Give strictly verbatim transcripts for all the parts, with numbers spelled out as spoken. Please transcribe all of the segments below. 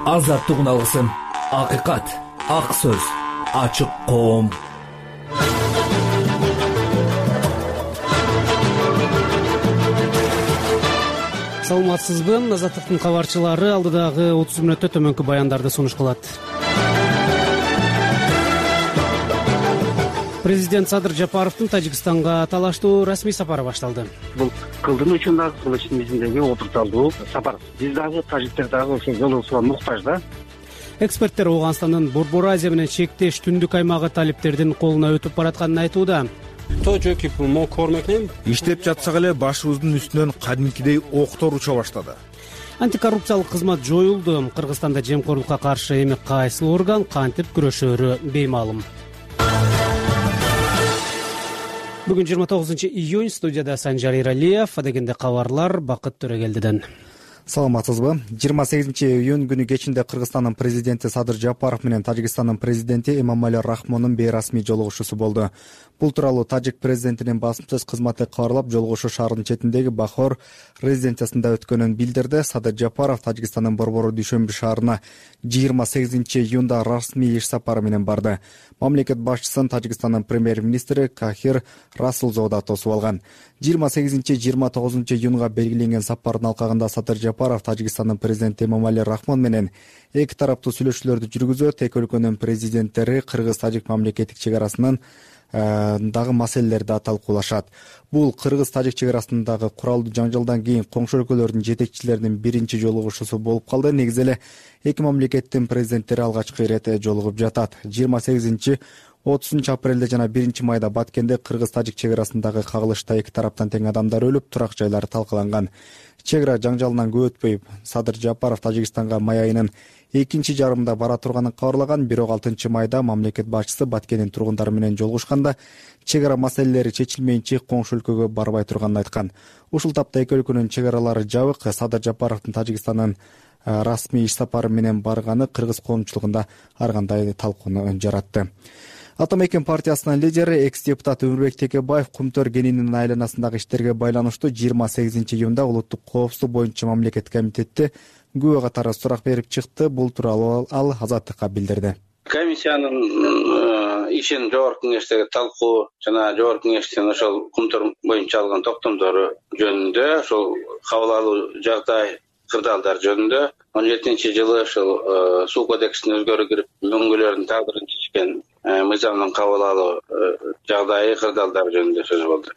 азаттык үналгысын, акыйкат, ак сөз, ачык коом. Саламатсызбы? Азаттыктын кабарчылары алдыдагы отуз мүнөттө төмөнкү баяндарды сунуш кылат. Президент Садыр Жапаровдун Тажикстанга талаштуу расмий сапары башталды. Бул кылдын үчүн дагы кыл ичимиздеги отурталдуу сапар. Биз дагы тажиктер дагы ошол жолугусуга муктаж да. Эксперттер Ооганстандын Борбор Азия менен чектеш түндүк аймагы талиптердин колуна өтүп баратканын айтууда. Иштеп жатсак эле башыбыздын үстүнөн кадимкидей октор уча баштады. Антикоррупциялык кызмат жоюлду. Кыргызстанда жемкорлукка каршы эми кайсы орган кантип күрөшөрү беймаалым. Бүгүн жыйырма тогузунчу июнь, студияда Санжар Иралиев, адегенде кабарлар Бакыт Төрөгелдиден. Саламатсызбы? жыйырма сегизинчи июнь күнү кечинде Кыргызстандын президенти Садыр Жапаров менен Тажикстандын президенти Эмомали Рахмондун бейрасмий жолугушуусу болду. Бул тууралуу Тажик президентинин басымсыз кызматы кабарлап, жолугушуу шаарынын четиндеги Бахор резиденциясында өткөнүн билдирди. Садыр Жапаров Тажикстандын Борбору Дүйшөмбү шаарына жыйырма сегизинчи июнда расмий иш сапары менен барды. Мамлекет башчысын Тажикстандын премьер-министри Кахир Расулзода тосуп алган. жыйырма сегизинчи жыйырма тогузунчу июнга белгиленген сапардын алкагында Садыр Жапаров Тажикстандын президенти Эмомали Рахмон менен эки тараптуу сүйлөшүүлөрдү жүргүзөт. Эки өлкөнүн президенттери кыргыз-тажик мамлекеттик чек арасынын дагы маселелерди талкуулашат. Бул кыргыз-тажик чек арасындагы куралдуу жаңжалдан кийин коңшу өлкөлөрдүн жетекчилеринин биринчи жолугушуусу болуп калды. Негизи эле эки мамлекеттин президенттери алгачкы ирет жолугуп жатат. жыйырма сегизинчи отузунчу апрелде жана биринчи майда Баткенде кыргыз-тажик чек арасындагы кагылышта эки тараптан тең адамдар өлүп, турак жайлар талкаланган. Чек ара жаңжалынан көп өтпөй Садыр Жапаров Тажикстанга май айынын экинчи жарымында бара турганын кабарлаган. Бирок алтынчы майда мамлекет башчысы Баткендин тургундары менен жолугушканда чек ара маселелери чечилмейинче коңшу өлкөгө барбай турганын айткан. Ушул тапта эки өлкөнүн чек аралары жабык. Садыр Жапаровдун Тажикстандын расмий иш сапары менен барганы кыргыз коомчулугунда ар кандай талкууну жаратты. Атамекен партиясынын лидери экс-депутат Өмүрбек Текебаев Кумтөр кенинин айланасындагы иштерге байланыштуу жыйырма сегизинчи июнда улуттук коопсуздук боюнча мамлекеттик комитетте күбө катары сурак берип чыкты. Бул тууралуу ал Азаттыкка билдирди. Комиссиянын ишин жогорку кеңештеги талкуу жана жогорку кеңештин ошол Кумтөр боюнча алган токтомдору жөнүндө, ошол кабыл алуу жагдай кырдаалдар жөнүндө он жетинчи жылы ошол суу кодексине өзгөрүү кирип мөңгүлөрдүн тагдырын чечкен мыйзамдын кабыл алуу жагдайы кырдаалдар жөнүндө сөз болду.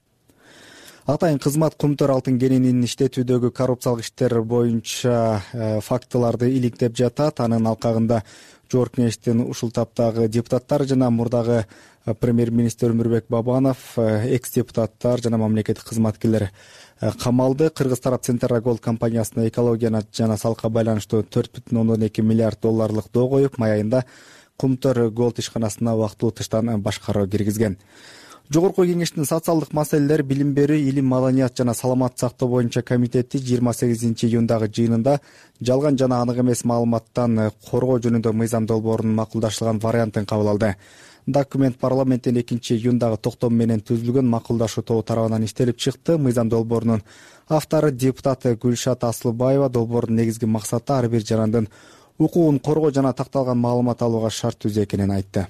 Атайын кызмат Кумтөр алтын кенинин иштетүүдөгү коррупциялык иштер боюнча фактыларды иликтеп жатат. Анын алкагында жогорку кеңештин ушул таптагы депутаттары жана мурдагы премьер-министр Өмүрбек Бабанов, экс-депутаттар жана мамлекеттик кызматкерлер камалды. Кыргыз тарап Центра Голд компаниясына экология жана салыкка байланыштуу төрт бүтүн ондон эки миллиард долларлык доо коюп, май айында Кумтөр Голд ишканасына убактылуу тыштан башкаруу киргизген. Жогорку кеңештин социалдык маселелер, билим берүү, илим, маданият жана саламат сактоо боюнча комитети жыйырма сегизинчи июндагы жыйынында жалган жана анык эмес маалыматтан коргоо жөнүндө мыйзам долбоорунун макулдашылган вариантын кабыл алды. Документ парламенттин экинчи июндагы токтом менен түзүлгөн макулдашуу тобу тарабынан иштелип чыкты. Мыйзам долбоорунун автору депутат Гүлшат Аслыбаева долбоордун негизги максаты ар бир жарандын укугун коргоо жана такталган маалымат алууга шарт түзүү экенин айтты.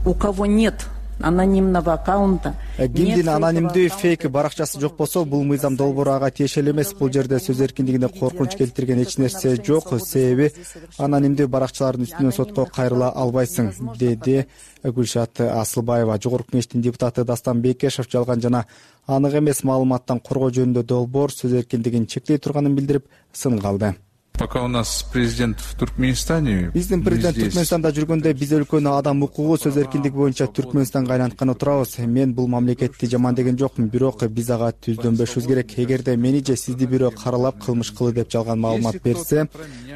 У кого нет анонимного аккаунта, кимдин анонимдүү фейк баракчасы жок болсо, бул мыйзам долбоору ага тиешелүү эмес. Бул жерде сөз эркиндигине коркунуч келтирген эч нерсе жок. Себеби анонимдүү баракчалардын үстүнөн сотко кайрыла албайсың, деди Гүлшат Аслыбаева. Жогорку кеңештин депутаты Дастан Бекешев жалган жана анык эмес маалыматтан коргоо жөнүндө долбоор сөз эркиндигин чектей турганын билдирип, сын калды. Пока у нас президент в Туркменистане. Биздин президент Түркмөнстанда жүргөндө биз өлкөнү адам укугу, сөз эркиндиги боюнча Түркмөнстанга айлантканы турабыз. Мен бул мамлекетти жаман деген жокмун, бирок биз ага түздөнбөшүбүз керек. Эгерде мени же сизди бирөө каралап кылмыш кылды деп жалган маалымат берсе,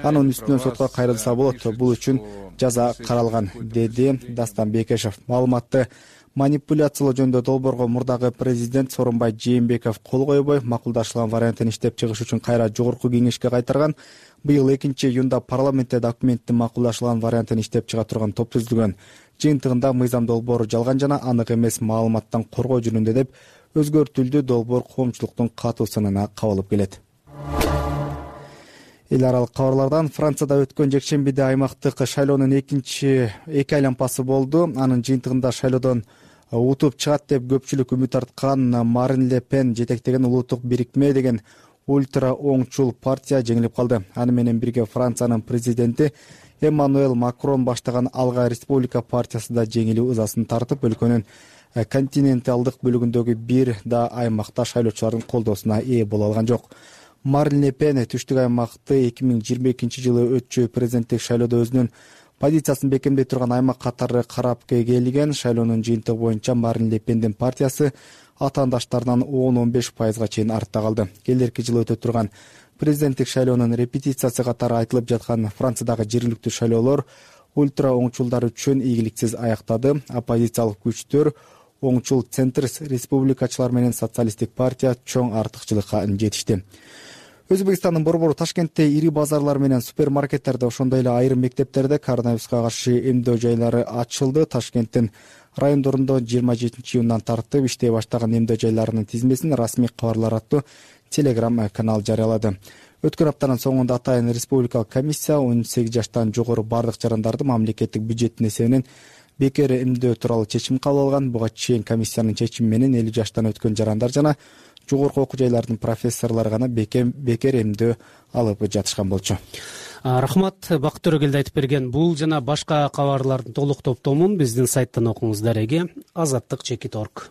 анын үстүнөн сотко кайрылса болот. Бул үчүн жаза каралган, деди Дастан Бекешев. Маалыматты манипуляциялоо жөнүндө долбоорго мурдагы президент Сооронбай Жээнбеков кол койбой, макулдашылган вариантын иштеп чыгыш үчүн кайра жогорку кеңешке кайтарган. Быйыл экинчи июнда парламентте документтин макулдашылган вариантын иштеп чыга турган топ түзүлгөн. Жыйынтыгында мыйзам долбоору жалган жана анык эмес маалыматтан коргоо жөнүндө деп өзгөртүлдү. Долбоор коомчулуктун катуу сынына кабылып келет. эл аралык кабарлардан Францияда өткөн жекшембиде аймактык шайлоонун экинчи эки айланпасы болду. Анын жыйынтыгында шайлоодон утуп чыгат деп көпчүлүк үмүт арткан Марин Ле Пен жетектеген улуттук бирикме деген ультра оңчул партия жеңилип калды. Аны менен бирге Франциянын президенти Эммануэль Макрон баштаган Алга Республика партиясы да жеңилүү ызасын тартып, өлкөнүн континенталдык бөлүгүндөгү бир да аймакта шайлоочулардын колдоосуна ээ боло алган жок. Марин Ле Пен түштүк аймакты эки миң жыйырма экинчи жылы өтчү президенттик шайлоодо өзүнүн позициясын бекемдей турган аймак катары карап келген. Шайлоонун жыйынтыгы боюнча Марин Ле Пендин партиясы атаандаштарынан он он беш пайызга чейин артта калды. Келерки жылы өтө турган президенттик шайлоонун репетициясы катары айтылып жаткан Франциядагы жергиликтүү шайлоолор ультра оңчулдар үчүн ийгиликсиз аяктады. Оппозициялык күчтөр оңчул центр республикачылар менен социалисттик партия чоң артыкчылыкка жетишти. Өзбекстандын борбору Ташкентте ири базарлар менен супермаркеттерде, ошондой эле айрым мектептерде коронавируска каршы эмдөө жайлары ачылды. Ташкенттин райондорунда жыйырма жетинчи июндан тартып иштей баштаган эмдөө жайларынын тизмесин расмий кабарлар аттуу телеграм канал жарыялады. Өткөн аптанын соңунда атайын республикалык комиссия он сегиз жаштан жогору бардык жарандарды мамлекеттик бюджеттин эсебинен бекер эмдөө тууралуу чечим кабыл алган. Буга чейин комиссиянын чечими менен элүү жаштан өткөн жарандар жана жогорку окуу жайлардын профессорлору гана бекер эмдөө алып жатышкан болчу. Рахмат, Бакыт Төрөгелди айтып берген бул жана башка кабарлардын толук топтомун биздин сайттан окуңуз. Дареги азаттык чекит точка орг.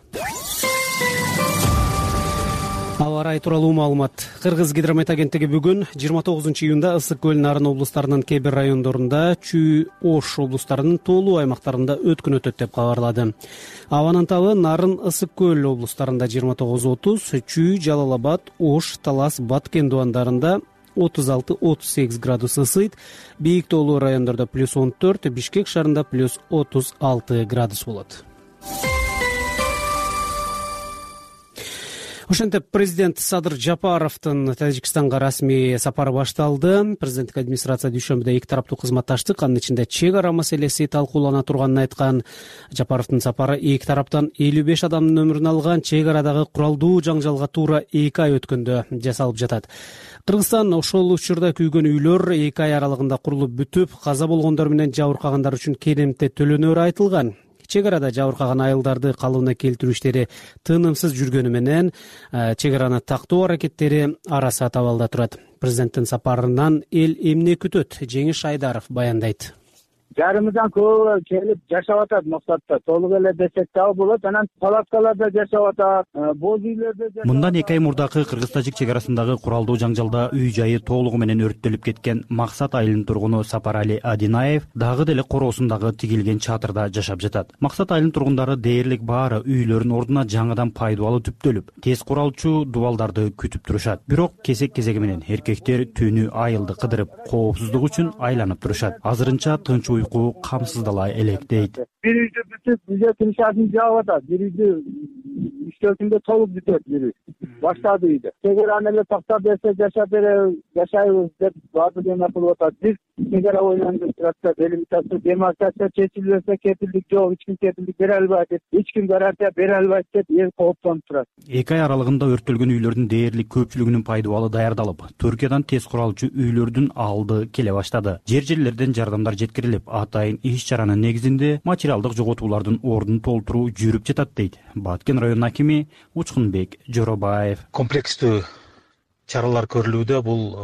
Аба ырайы тууралуу маалымат. Кыргыз гидромет агенттиги бүгүн жыйырма тогузунчу июнда Ысык көл, Нарын облустарынын кээ бир райондорунда, Чүй, Ош облустарынын тоолуу аймактарында өткөн өтөт деп кабарлады. Абанын табы Нарын, Ысык көл облустарында жыйырма тогуз отуз, Чүй, Жалал Абад, Ош, Талас, Баткен дубандарында отуз алты отуз сегиз градус ысыйт. Бийик тоолуу райондордо плюс он төрт, Бишкек шаарында плюс отуз алты градус болот. Ошентип президент Садыр Жапаровдун Тажикстанга расмий сапары башталды. Президенттик администрация дүйшөмбүдө эки тараптуу кызматташтык, анын ичинде чек ара маселеси талкуулана турганын айткан. Жапаровдун сапары эки тараптан элүү беш адамдын өмүрүн алган чек арадагы куралдуу жаңжалга туура эки ай өткөндө жасалып жатат. Кыргызстан ошол учурда күйгөн үйлөр эки ай аралыгында курулуп бүтүп, каза болгондор менен жабыркагандар үчүн керемте төлөнөрү айтылган. Чек арада жабыркаган айылдарды калыбына келтирүү иштери тынымсыз жүргөнү менен чек араны тактоо аракеттери арасы табалда турат. Президенттин сапарынан эл эмне күтөт? Жеңиш Айдаров баяндайт. Жарымыздан көбү келип жашап атат Моксатта. Толук эле десек дагы болот. Анан палаткаларда жашап атат, боз үйлөрдө жашап. Мындан эки ай мурдакы Кыргыз-Тажик чек арасындагы куралдуу жаңжалда үй жайы толугу менен өрттөлүп кеткен Максат айылынын тургуну Сапарали Адинаев дагы деле короосундагы тигилген чатырда жашап жатат. Максат айылынын тургундары дээрлик баары үйлөрүнүн ордуна жаңыдан пайдубалы түптөлүп, тез куралчу дубалдарды күтүп турушат. Бирок кезек-кезеги менен эркектер түнү айылды кыдырып, коопсуздук үчүн айланып турушат. Азырынча тынч уйку камсыздала элек дейт. Бир үйдө бүтүп, үйдө тынчасын жаап атат. Бир үйдө үчтөсүндө толук бүтөт бир үй. Баштады үйдө. Чек араны эле токтоп берсе жашап бере, жашайбыз деп баардык эме кылып атат. Биз чек ара ойлонуп турат, делимитация, демаркация чечилбесе кепилдик жок, эч ким кепилдик бере албайт деп, эч ким гарантия бере албайт деп эл кооптонуп турат. Эки ай аралыгында өрттөлгөн үйлөрдүн дээрлик көпчүлүгүнүн пайдубалы даярдалып, Түркиядан тез куралчу үйлөрдүн алды келе баштады. Жер-жерлерден жардамдар жеткирилип, атайын иш чаранын негизинде материалдык жоготуулардын ордун толтуруу жүрүп жатат дейт Баткен районунун акими Учкунбек Жоробаев. Комплекстүү чаралар көрүлүүдө. Бул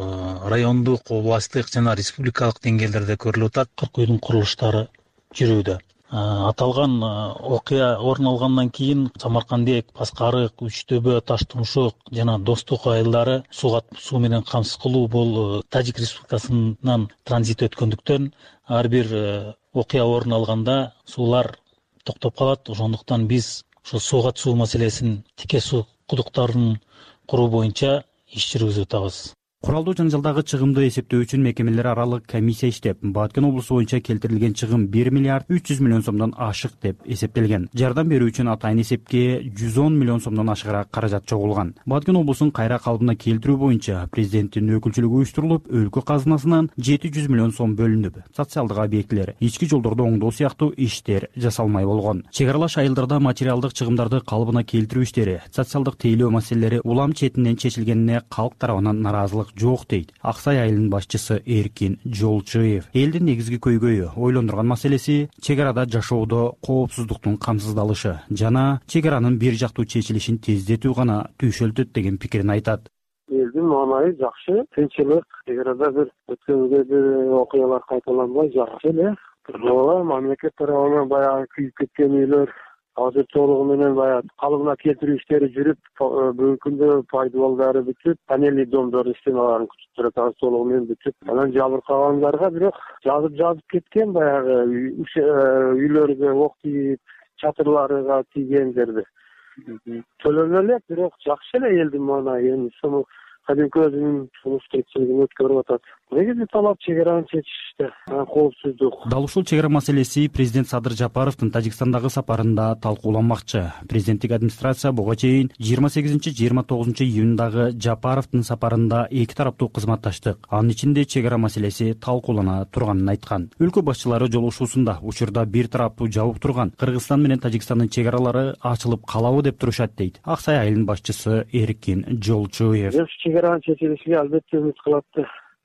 райондук, областтык жана республикалык деңгээлдерде көрүлүп атат. кырк үйдүн курулуштары жүрүүдө. Аталган окуя орун алгандан кийин Самаркандек, Паскарык, Үчтөбө, Таштумшук жана Достук айылдары сууга суу менен камсыз кылуу бул Тажик Республикасынан транзит өткөндүктөн ар бир окуя орун алганда суулар токтоп калат. Ошондуктан биз ошо сууга суу маселесин, тике суу кудуктарын куруу боюнча иш жүргүзүп атабыз. Куралдуу жаңжалдагы чыгымды эсептөө үчүн мекемелер аралык комиссия иштеп, Баткен облусу боюнча келтирилген чыгым бир миллиард үч жүз миллион сомдон ашык деп эсептелген. Жардам берүү үчүн атайын эсепке жүз он миллион сомдон ашыгыраак каражат чогулган. Баткен облусун кайра калыбына келтирүү боюнча президенттин өкүлчүлүгү уюштурулуп, өлкө казынасынан жети жүз миллион сом бөлүнүп, социалдык объектилер, ички жолдорду оңдоо сыяктуу иштер жасалмай болгон. Чек аралаш айылдарда материалдык чыгымдарды калыбына келтирүү иштери, социалдык тейлөө маселелери улам четинен чечилгенине калк тарабынан наразылык камсыздык жок дейт Ак Сай айылынын башчысы Эркин Жолчуев. Элдин негизги көйгөйү ойлондурган маселеси чек арада жашоодо коопсуздуктун камсыздалышы жана чек аранын бир жактуу чечилишин тездетүү гана түйшөлтөт деген пикирин айтат. Элдин маанайы жакшы, тынччылык, чек арада бир өткөнгө бир окуялар кайталанбай жакшы эле. Ооба, мамлекет тарабынан баягы күйүп кеткен үйлөр азыр толугу менен баягы калыбына келтирүү иштери жүрүп, бүгүнкү күндө пайдалуу баары бүтүп, панельный домдордун стеналарын күтүп турат, азыр толугу менен бүтүп. Анан жабыркагандарга бирок жазып жазып кеткен баягы үйлөргө ок тийип, чатырларга тийгендерди. Төлөнө элек, бирок жакшы эле элдин маанайы. Эми ошону кадимки өзүнүн сунуш тиричилигин өткөрүп атат. Негизи талап чек араны чечиште, коопсуздук. Дал ушул чек ара маселеси президент Садыр Жапаровдун Тажикстандагы сапарында талкууланмакчы. Президенттик администрация буга чейин жыйырма сегизинчи жыйырма тогузунчу июндагы Жапаровдун сапарында эки тараптуу кызматташтык, анын ичинде чек ара маселеси талкуулана турганын айткан. Өлкө башчылары жолугушуусунда учурда бир тараптуу жабык турган Кыргызстан менен Тажикстандын чек аралары ачылып калабы деп турушат дейт Ак Сай айылынын башчысы Эркин Жолчуев. Чек аранын чечилишине албетте үмүт кылат.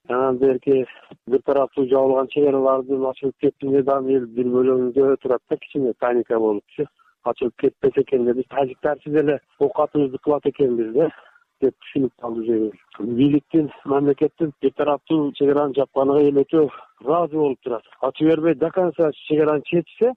Анан берки бир тараптуу жабылган чек аралардын ачылып кеткенде дагы эл бир бөлөгүндө турат да, кичине паника болупчу. Ачылып кетпесе экен деп, биз тажиктарсыз эле оокатыбызды кылат экенбиз да деп түшүнүп калды. Бийликтин, мамлекеттин бир тараптуу чек араны жапканыга эл өтө ыраазы болуп турат. Ачып бербей до конца чек араны чечсе,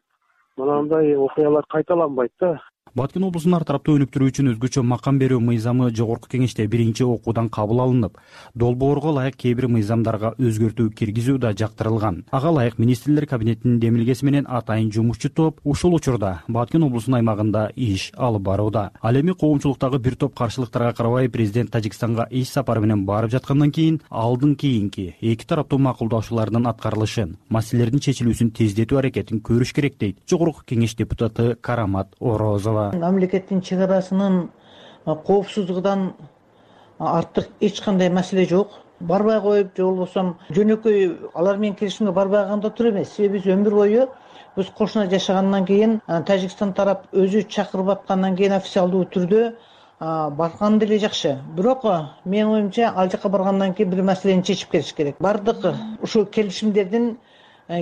мынандай окуялар кайталанбайт да. Баткен облусунун ар тараптуу өнүктүрүү үчүн өзгөчө макам берүү мыйзамы жогорку кеңеште биринчи окуудан кабыл алынып, долбоорго ылайык кээ бир мыйзамдарга өзгөртүү киргизүү да жактырылган. Ага ылайык министрлер кабинетинин демилгеси менен атайын жумушчу топ ушул учурда Баткен облусунун аймагында иш алып барууда. Ал эми коомчулуктагы бир топ каршылыктарга карабай президент Тажикстанга иш сапары менен барып жаткандан кийин алдын кийинки эки тараптуу макулдашуулардын аткарылышын, маселелердин чечилүүсүн тездетүү аракетин көрүш керек дейт жогорку кеңеш депутаты Карамат Орозова. Мамлекеттин чек арасынын коопсуздугунан артык эч кандай маселе жок. Барбай коюп, же болбосо жөнөкөй алар менен келишимге барбай калганда тура эмес. Себеби биз өмүр бою биз кошуна жашагандан кийин Тажикстан тарап өзү чакырып аткандан кийин официалдуу түрдө барган деле жакшы. Бирок менин оюмча ал жака баргандан кийин бир маселени чечип келиш керек. Бардык ушул келишимдердин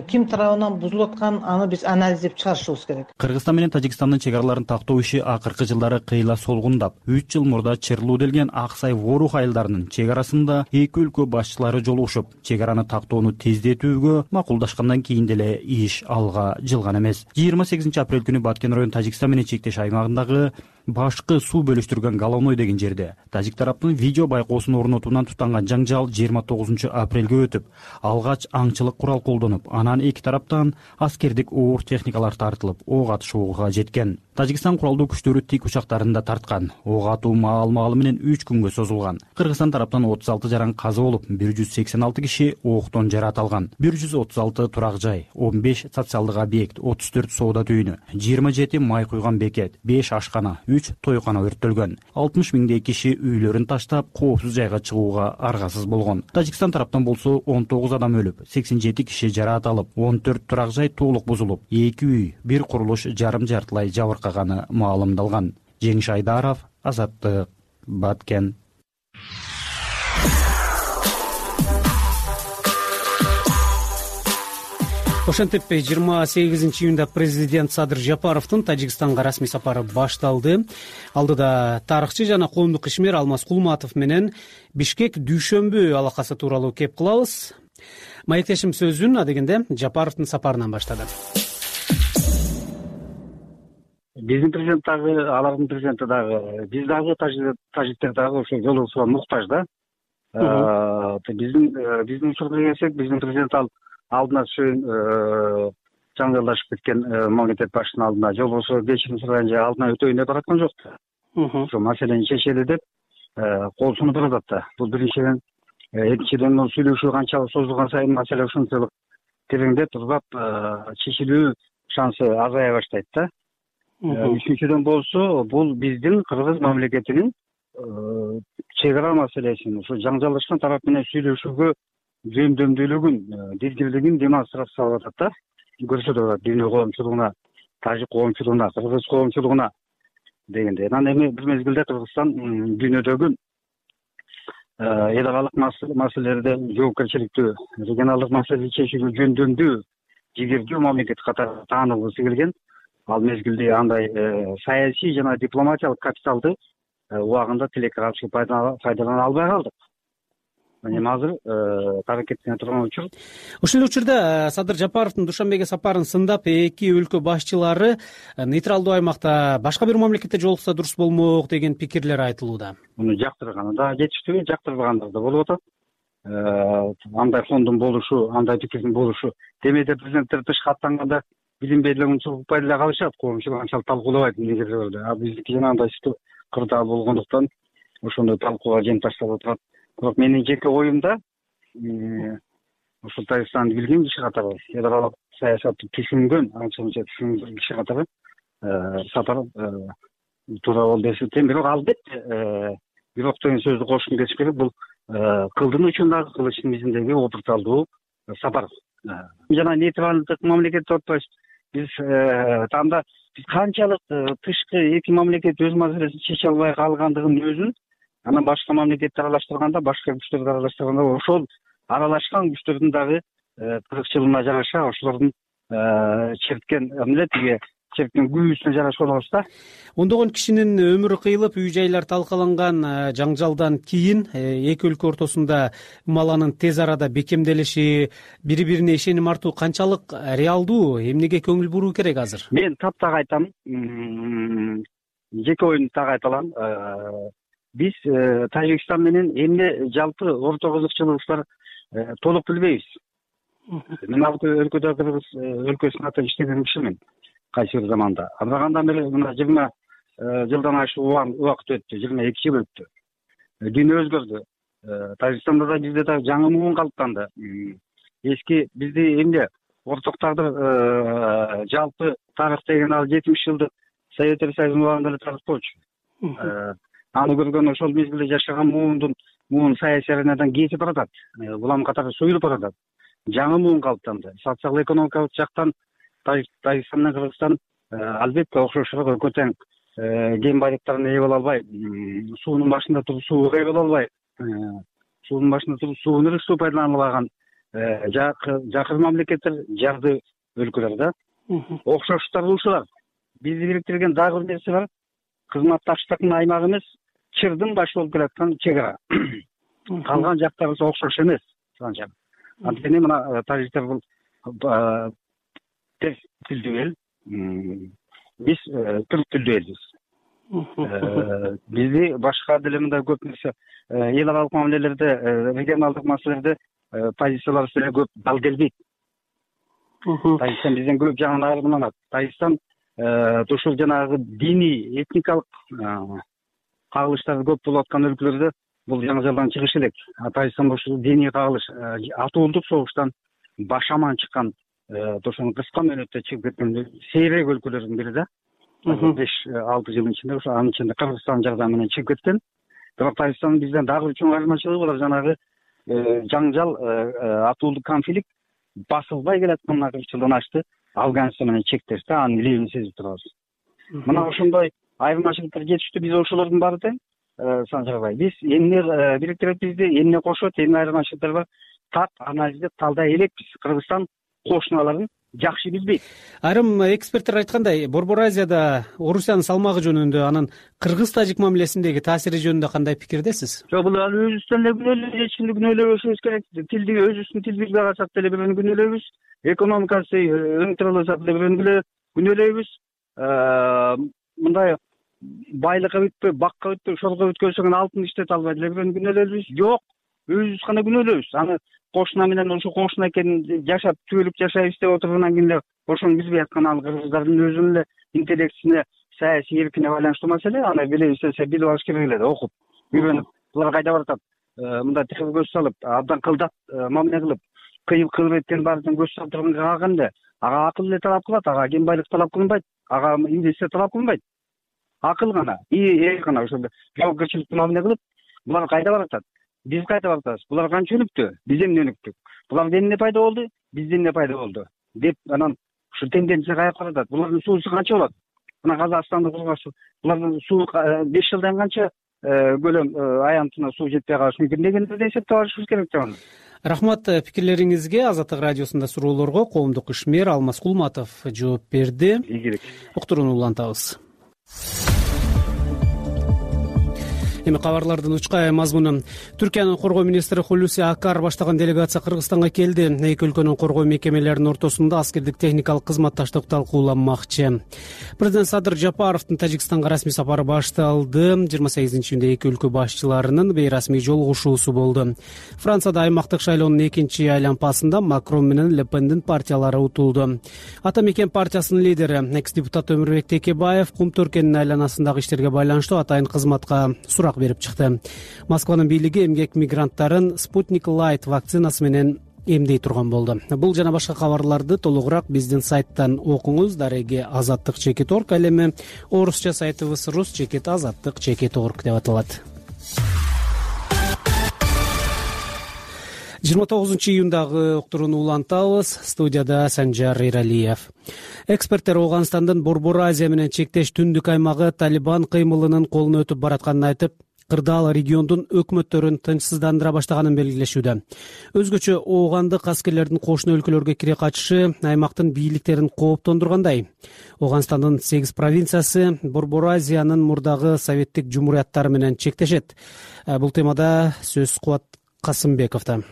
ким тарабынан бузулуп атканын аны биз анализдеп чыгарышыбыз керек. Кыргызстан менен Тажикстандын чек араларын тактоо иши акыркы жылдары кыйла солгундап, үч жыл мурда Чырлуу делген Ак Сай Ворух айылдарынын чек арасында эки өлкө башчылары жолугушуп, чек араны тактоону тездетүүгө макулдашкандан кийин деле иш алга жылган эмес. жыйырма сегизинчи апрель күнү Баткен район Тажикстан менен чектеш аймагындагы башкы суу бөлүштүргөн Головной деген жерде тажик тараптын видео байкоосун орнотуунан тутанган жаңжал жыйырма тогузунчу апрелге өтүп, алгач аңчылык курал колдонуп, анан эки тараптан аскердик оор техникалар тартылып, ок атышууга жеткен. Тажикстан куралдуу күчтөрү тик учактарын да тарткан. Ок атуу маал-маалы менен үч күнгө созулган. Кыргызстан тараптан отуз алты жаран каза болуп, бир жүз сексен алты киши октон жаракат алган. бир жүз отуз алты турак жай, он беш социалдык объект, отуз төрт соода түйүнү, жыйырма жети май куйган бекет, беш ашкана, үч тойкана өрттөлгөн. алтымыш миңдей киши үйлөрүн таштап, коопсуз жайга чыгууга аргасыз болгон. Тажикстан тараптан болсо он тогуз адам өлүп, сексен жети киши жаракат алып, он төрт турак жай толук бузулуп, эки үй, бир курулуш жарым жартылай жабыркаганы маалымдалган. Жеңиш Айдаров, Азаттык, Баткен. Ошентип жыйырма сегизинчи июнда президент Садыр Жапаровдун Тажикстанга расмий сапары башталды. Алдыда тарыхчы жана коомдук ишмер Алмаз Кулматов менен Бишкек дүйшөмбү алакасы тууралуу кеп кылабыз. Маектешим сөзүн адегенде Жапаровдун сапарынан баштады. Биздин президент дагы, алардын президенти дагы, биз дагы тажиктер дагы ошо жолугушууга муктаж да. Биздин биздин учурга келсек, биздин президент ал алдына түшүн жаңылдашып кеткен мамлекет башчысынын алдына жолугушууга кечирим сураган же алдына өтөйүн деп бараткан жок. Ошо маселени чечели деп кол сунуп атат да. Бул биринчиден, экинчиден сүйлөшүү канчалык созулган сайын маселе ушунчалык тереңдеп, узап, чечилүү шансы азая баштайт да. Үчүнчүдөн болсо, бул биздин Кыргыз мамлекетинин чек ара маселесин, ушу жаңжалдашкан тарап менен сүйлөшүүгө жөндөмдүүлүгүн, дилгирлигин демонстрациялап атат да. Көрсөтүп атат дүйнө коомчулугуна, тажик коомчулугуна, кыргыз коомчулугуна дегенде. Анан эми бир мезгилде Кыргызстан дүйнөдөгү эл аралык маселелерде жоопкерчиликтүү, регионалдык маселени чечүүгө жөндөмдүү, жигердүү мамлекет катары таанылгысы келген. Ал мезгилде андай саясий жана дипломатиялык капиталды убагында тилекке каршы пайдалана албай калдык. Эми азыр таракеттене турган учур. Ушул эле учурда Садыр Жапаровдун Душанбеге сапарын сындап, эки өлкө башчылары нейтралдуу аймакта башка бир мамлекетте жолукса дурус болмок деген пикирлер айтылууда. Муну жактырганы да жетиштүү, жактырбагандар да болуп атат. Андай фондун болушу, андай пикирдин болушу. Демейде президенттер тышка аттанганда билинбей унчалык укпай деле калышат, коомчулук анчалык талкуулабайт негизилerde. А биздики жанагындай сыттуу кырдаал болгондуктан ошондой талкууга жем ташталып турат. Бирок менин жеке оюмда ушул Тажикстанды билген киши катары, эл аралык саясатты түшүнгөн, анча мынча түшүнгөн киши катары сапар туура болду деп эсептейм. Бирок албетте бирок деген сөздү кошкум келишим керек. Бул кылдын учундагы кылычтын мизиндеги опурталдуу сапар. Жана нейтралдык мамлекет деп атпайбыз. Биз танда биз канчалык тышкы эки мамлекет өз маселесин чече албай калгандыгын өзүн анан башка мамлекетти аралаштырганда, башка күчтөрдү аралаштырганда ошол аралашкан күчтөрдүн дагы кыргызчылыгына жараша ошолордун черткен эмне тиги черткен күйүүсүнө жараша болобуз да. Ондогон кишинин өмүрү кыйылып, үй жайлар талкаланган жаңжалдан кийин эки өлкө ортосунда умаланын тез арада бекемделиши, бири-бирине ишеним артуу канчалык реалдуу, эмнеге көңүл буруу керек азыр? Мен таптак айтам, жеке оюмду так айта алам. Биз Тажикстан менен эмне жалпы орто кызыкчылыгыбыздар толук билбейбиз. Мен ал өлкөдө кыргыз өлкөсүнүн атынан иштеген кишимин кайсы бир заманда. Андан бери мына жыйырма жылдан ашык убакыт өттү, жыйырма эки жыл өттү. Дүйнө өзгөрдү. Тажикстанда да бизде да жаңы муун калыптанды. Эски бизди эмне ортоктардыр жалпы тарых деген ал жетимиш жылдык Советтер Союзунун убагында эле тарых болчу. Аны көргөн ошол мезгилде жашаган муундун муун саясий аренадан кетип баратат. Улам катары суюлуп баратат. Жаңы муун калыптанды. Социалдык экономикалык жактан Тажикстан менен Кыргызстан албетте окшошураак экөө тең кен байлыктарына ээ боло албай, суунун башында туруп сууга ээ боло албай, суунун башында туруп сууну ырыктуу пайдалана албаган жакын мамлекеттер, жарды өлкөлөр да. Окшоштуктары ушулар. Бизди бириктирген дагы бир нерсе бар. Кызматташтыктын аймагы эмес, чырдын башы болуп келаткан чек ара. Калган жактарыбыз окшош эмес. Анткени мына тажиктер бул тез тилдүү эл, биз түрк тилдүү элбиз. Бизди башка деле мындай көп нерсе эл аралык мамилелерде, регионалдык маселелерде позицияларыбыз деле көп дал келбейт. Тажикстан бизден көп жагынан айырмаланат. Тажикстан ушул жанагы диний, этникалык кагылыштар көп болуп аткан өлкөлөрдө бул жаңжалдан чыгыш элек. Тажикстан ушул диний кагылыш атуулдук согуштан баш аман чыккан, ошону кыска мөөнөттө чыгып кеткен сейрек өлкөлөрдүн бири да. беш алты жылдын ичинде ошо анын ичинде Кыргызстан жардамы менен чыгып кеткен. Бирок Тажикстандын бизден дагы бир чоң айырмачылыгы булар жанагы жаңжал, атуулдук конфликт басылбай келаткан кырк жылдан ашты. Афганистан менен чектеш да, анын лебин сезип турабыз. Мына ошондой айырмачылыктар жетиштүү. Биз ошолордун баары тең Санжарбай. Биз эмне бириктирет бизди, эмне кошот, эмне айырмачылыктар бар, так анализде талдай элекпиз. Кыргызстан кошуналарын жакшы билбейт. Айрым эксперттер айткандай, Борбор Азияда Орусиянын салмагы жөнүндө, анын кыргыз-тажик мамилесиндеги таасири жөнүндө кандай пикирдесиз? Жок, бул өзүбүздөн эле күнөөлүү, эч кимди күнөөлөбөшүбүз керек. Тилди өзүбүздүн тил билбей калсак деле бирөөнү күнөөлөйбүз. Экономикасы өңтүрөлөсөк деле бирөөнү күнөөлөйбүз. Мындай байлыкка бүтпөй, бакка бүтпөй, шолго бүткөзсөң алтын иштете албай деле бирөөнү күнөөлөйбүз. Жок, өзүбүз гана күнөөлөйбүз. Аны кошуна менен ошо кошуна экенин жашап түбөлүп жашайбыз деп отургандан кийин эле ошону билбей аткан ал кыргыздардын өзүнүн эле интеллектисине, саясий эркине байланыштуу маселе. Аны билебиз десе билип алыш керек эле да, окуп, үйрөнүп. Булар кайда баратат? Мындай тыгыз көз салып, абдан кылдат мамиле кылып, кыйып кылып эткенин баардыгын көз салып турганга калганда, ага акыл эле талап кылат, ага кен байлык талап кылынбайт, ага инвестиция талап кылынбайт. Акыл гана, ээ гана ошондо жоопкерчиликтүү мамиле кылып, булар кайда баратат? Биз кайда баратабыз? Булар канча өнүктү? Биз эмне өнүктүк? Буларда эмне пайда болду? Бизде эмне пайда болду? Деп анан ушу тенденция каяка баратат? Булардын суусу канча болот? Мына Казакстанды кургансыз, булардын суу беш жылдан канча көлөм аянтына суу жетпей калышы мүмкүн дегенди да эсептеп алышыбыз керек деп анан. Рахмат пикирлериңизге. Азаттык радиосунда суроолорго коомдук ишмер Алмаз Кулматов жооп берди. Ийгилик. Уктурууну улантабыз. Эми кабарлардын учкай мазмуну. Түркиянын коргоо министри Хулуси Акар баштаган делегация Кыргызстанга келди. Эки өлкөнүн коргоо мекемелеринин ортосунда аскердик техникалык кызматташтык талкууланмакчы. Президент Садыр Жапаровдун Тажикстанга расмий сапары башталды. жыйырма сегизинчи июнда эки өлкө башчыларынын бейрасмий жолугушуусу болду. Францияда аймактык шайлоонун экинчи айлампасында Макрон менен Ле Пендин партиялары утулду. Ата мекен партиясынын лидери, экс-депутат Өмүрбек Текебаев кум төркенин айланасындагы иштерге байланыштуу атайын кызматка сурак берип чыкты. Москванын бийлиги эмгек мигранттарын Спутник Лайт вакцинасы менен эмдей турган болду. Бул жана башка кабарларды толугураак биздин сайттан окуңуз. Дареги азаттык чекит орг, ал эми орусча сайтыбыз рус чекит азаттык чекит орг деп аталат. жыйырма тогузунчу июндагы уктурууну улантабыз. Студияда Санжар Иралиев. Эксперттер Ооганстандын Борбор Азия менен чектеш түндүк аймагы Талибан кыймылынын колуна өтүп баратканын айтып, кырдаал региондун өкмөттөрүн тынчсыздандыра баштаганын белгилешүүдө. Өзгөчө оогандык аскерлердин кошуна өлкөлөргө кире качышы аймактын бийликтерин кооптондургандай. Ооганстандын сегиз провинциясы Борбор Азиянын мурдагы советтик жумурияттары менен чектешет. Бул темада сөз Кубат Касымбековдо.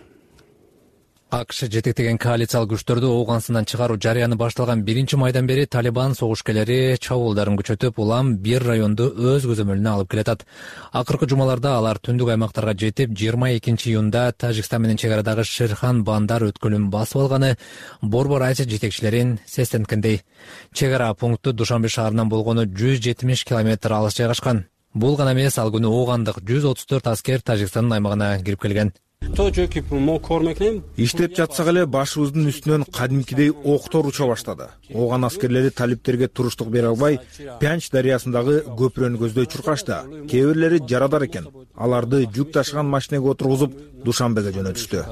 АКШ жетектеген коалициялык күчтөрдү Ооганстандан чыгаруу жарыяны башталган биринчи майдан бери Талибан согушкерлери чабуулдарын күчөтүп, улам бир районду өз көзөмөлүнө алып келатат. Акыркы жумаларда алар түндүк аймактарга жетип, жыйырма экинчи июнда Тажикстан менен чек арадагы Шерхан Бандар өткөлүн басып алганы Борбор Азия жетекчилерин сестенткендей. Чек ара пункту Душанбе шаарынан болгону жүз жетимиш километр алыс жайгашкан. Бул гана эмес, ал күнү оогандык жүз отуз төрт аскер Тажикстандын аймагына кирип келген. Иштеп жатсак эле башыбыздын үстүнөн кадимкидей октор уча баштады. Ооган аскерлери талиптерге туруштук бере албай, Пянч дарыясындагы көпүрөнү көздөй чуркашты. Кээ бирлери жарадар экен. Аларды жүк ташыган машинеге отургузуп Душанбеге жөнөтүштү.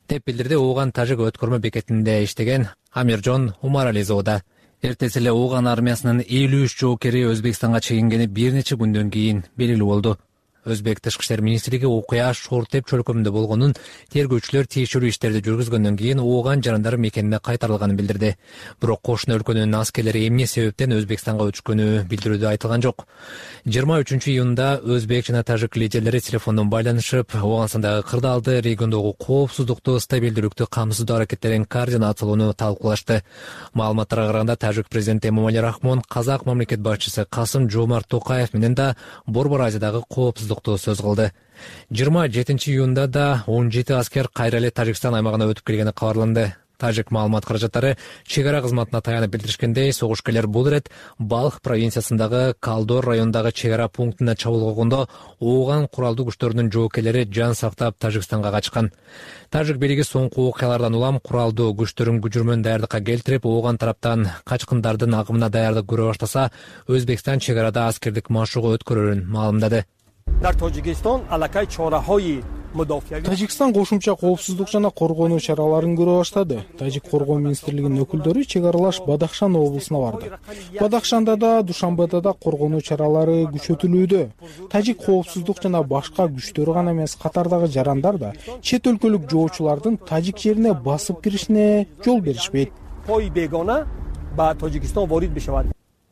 Деп билдирди Ооган тажик өткөрмө бекетинде иштеген Амиржон Умарализода. Эртеси эле Ооган армиясынын элүү үч жоокери Өзбекстанга чегингени бир нече күндөн кийин белгилүү болду. Өзбек тышкы иштер министрлиги окуя Шортеп чөлкөмүндө болгонун, тергөөчүлөр тиешелүү иштерди жүргүзгөндөн кийин Ооган жарандар мекенине кайтарылганын билдирди. Бирок кошуна өлкөнүн аскерлери эмне себептен Өзбекстанга өтүшкөнү билдирүүдө айтылган жок. жыйырма үчүнчү июнда Өзбек жана тажик лидерлери телефондон байланышып, Ооганстандагы кырдаалды региондогу коопсуздукту, стабилдүүлүктү камсыздоо аракеттерин координациялоону талкуулашты. Маалыматтарга караганда, тажик президенти Эмомали Рахмон казак мамлекет башчысы Касым Жомарт Токаев менен да Борбор Азиядагы коопсуздук сөз кылды. жыйырма жетинчи июнда да он жети аскер кайра эле Тажикстан аймагына өтүп келгени кабарланды. Тажик маалымат каражаттары чек ара кызматына таянып билдиришкендей, согушкерлер бул ирет Балх провинциясындагы Калдор районундагы чек ара пунктуна чабуул койгондо Ооган куралдуу күчтөрүнүн жоокерлери жан сактап Тажикстанга качкан. Тажик бийлиги соңку окуялардан улам куралдуу күчтөрүн күжүрмөн даярдыкка келтирип, Ооган тараптан качкындардын агымына даярдык көрө баштаса, Өзбекстан чек арада аскердик машыгуу өткөрөрүн маалымдады. Тажикстан кошумча коопсуздук жана коргонуу чараларын көрө баштады. Тажик коргоо министрлигинин өкүлдөрү чек аралаш Бадахшан облусуна барды. Бадахшанда да, Душанбеде да коргонуу чаралары күчөтүлүүдө. Тажик коопсуздук жана башка күчтөрү гана эмес, катардагы жарандар да чет өлкөлүк жоочулардын тажик жерине басып киришине жол беришпейт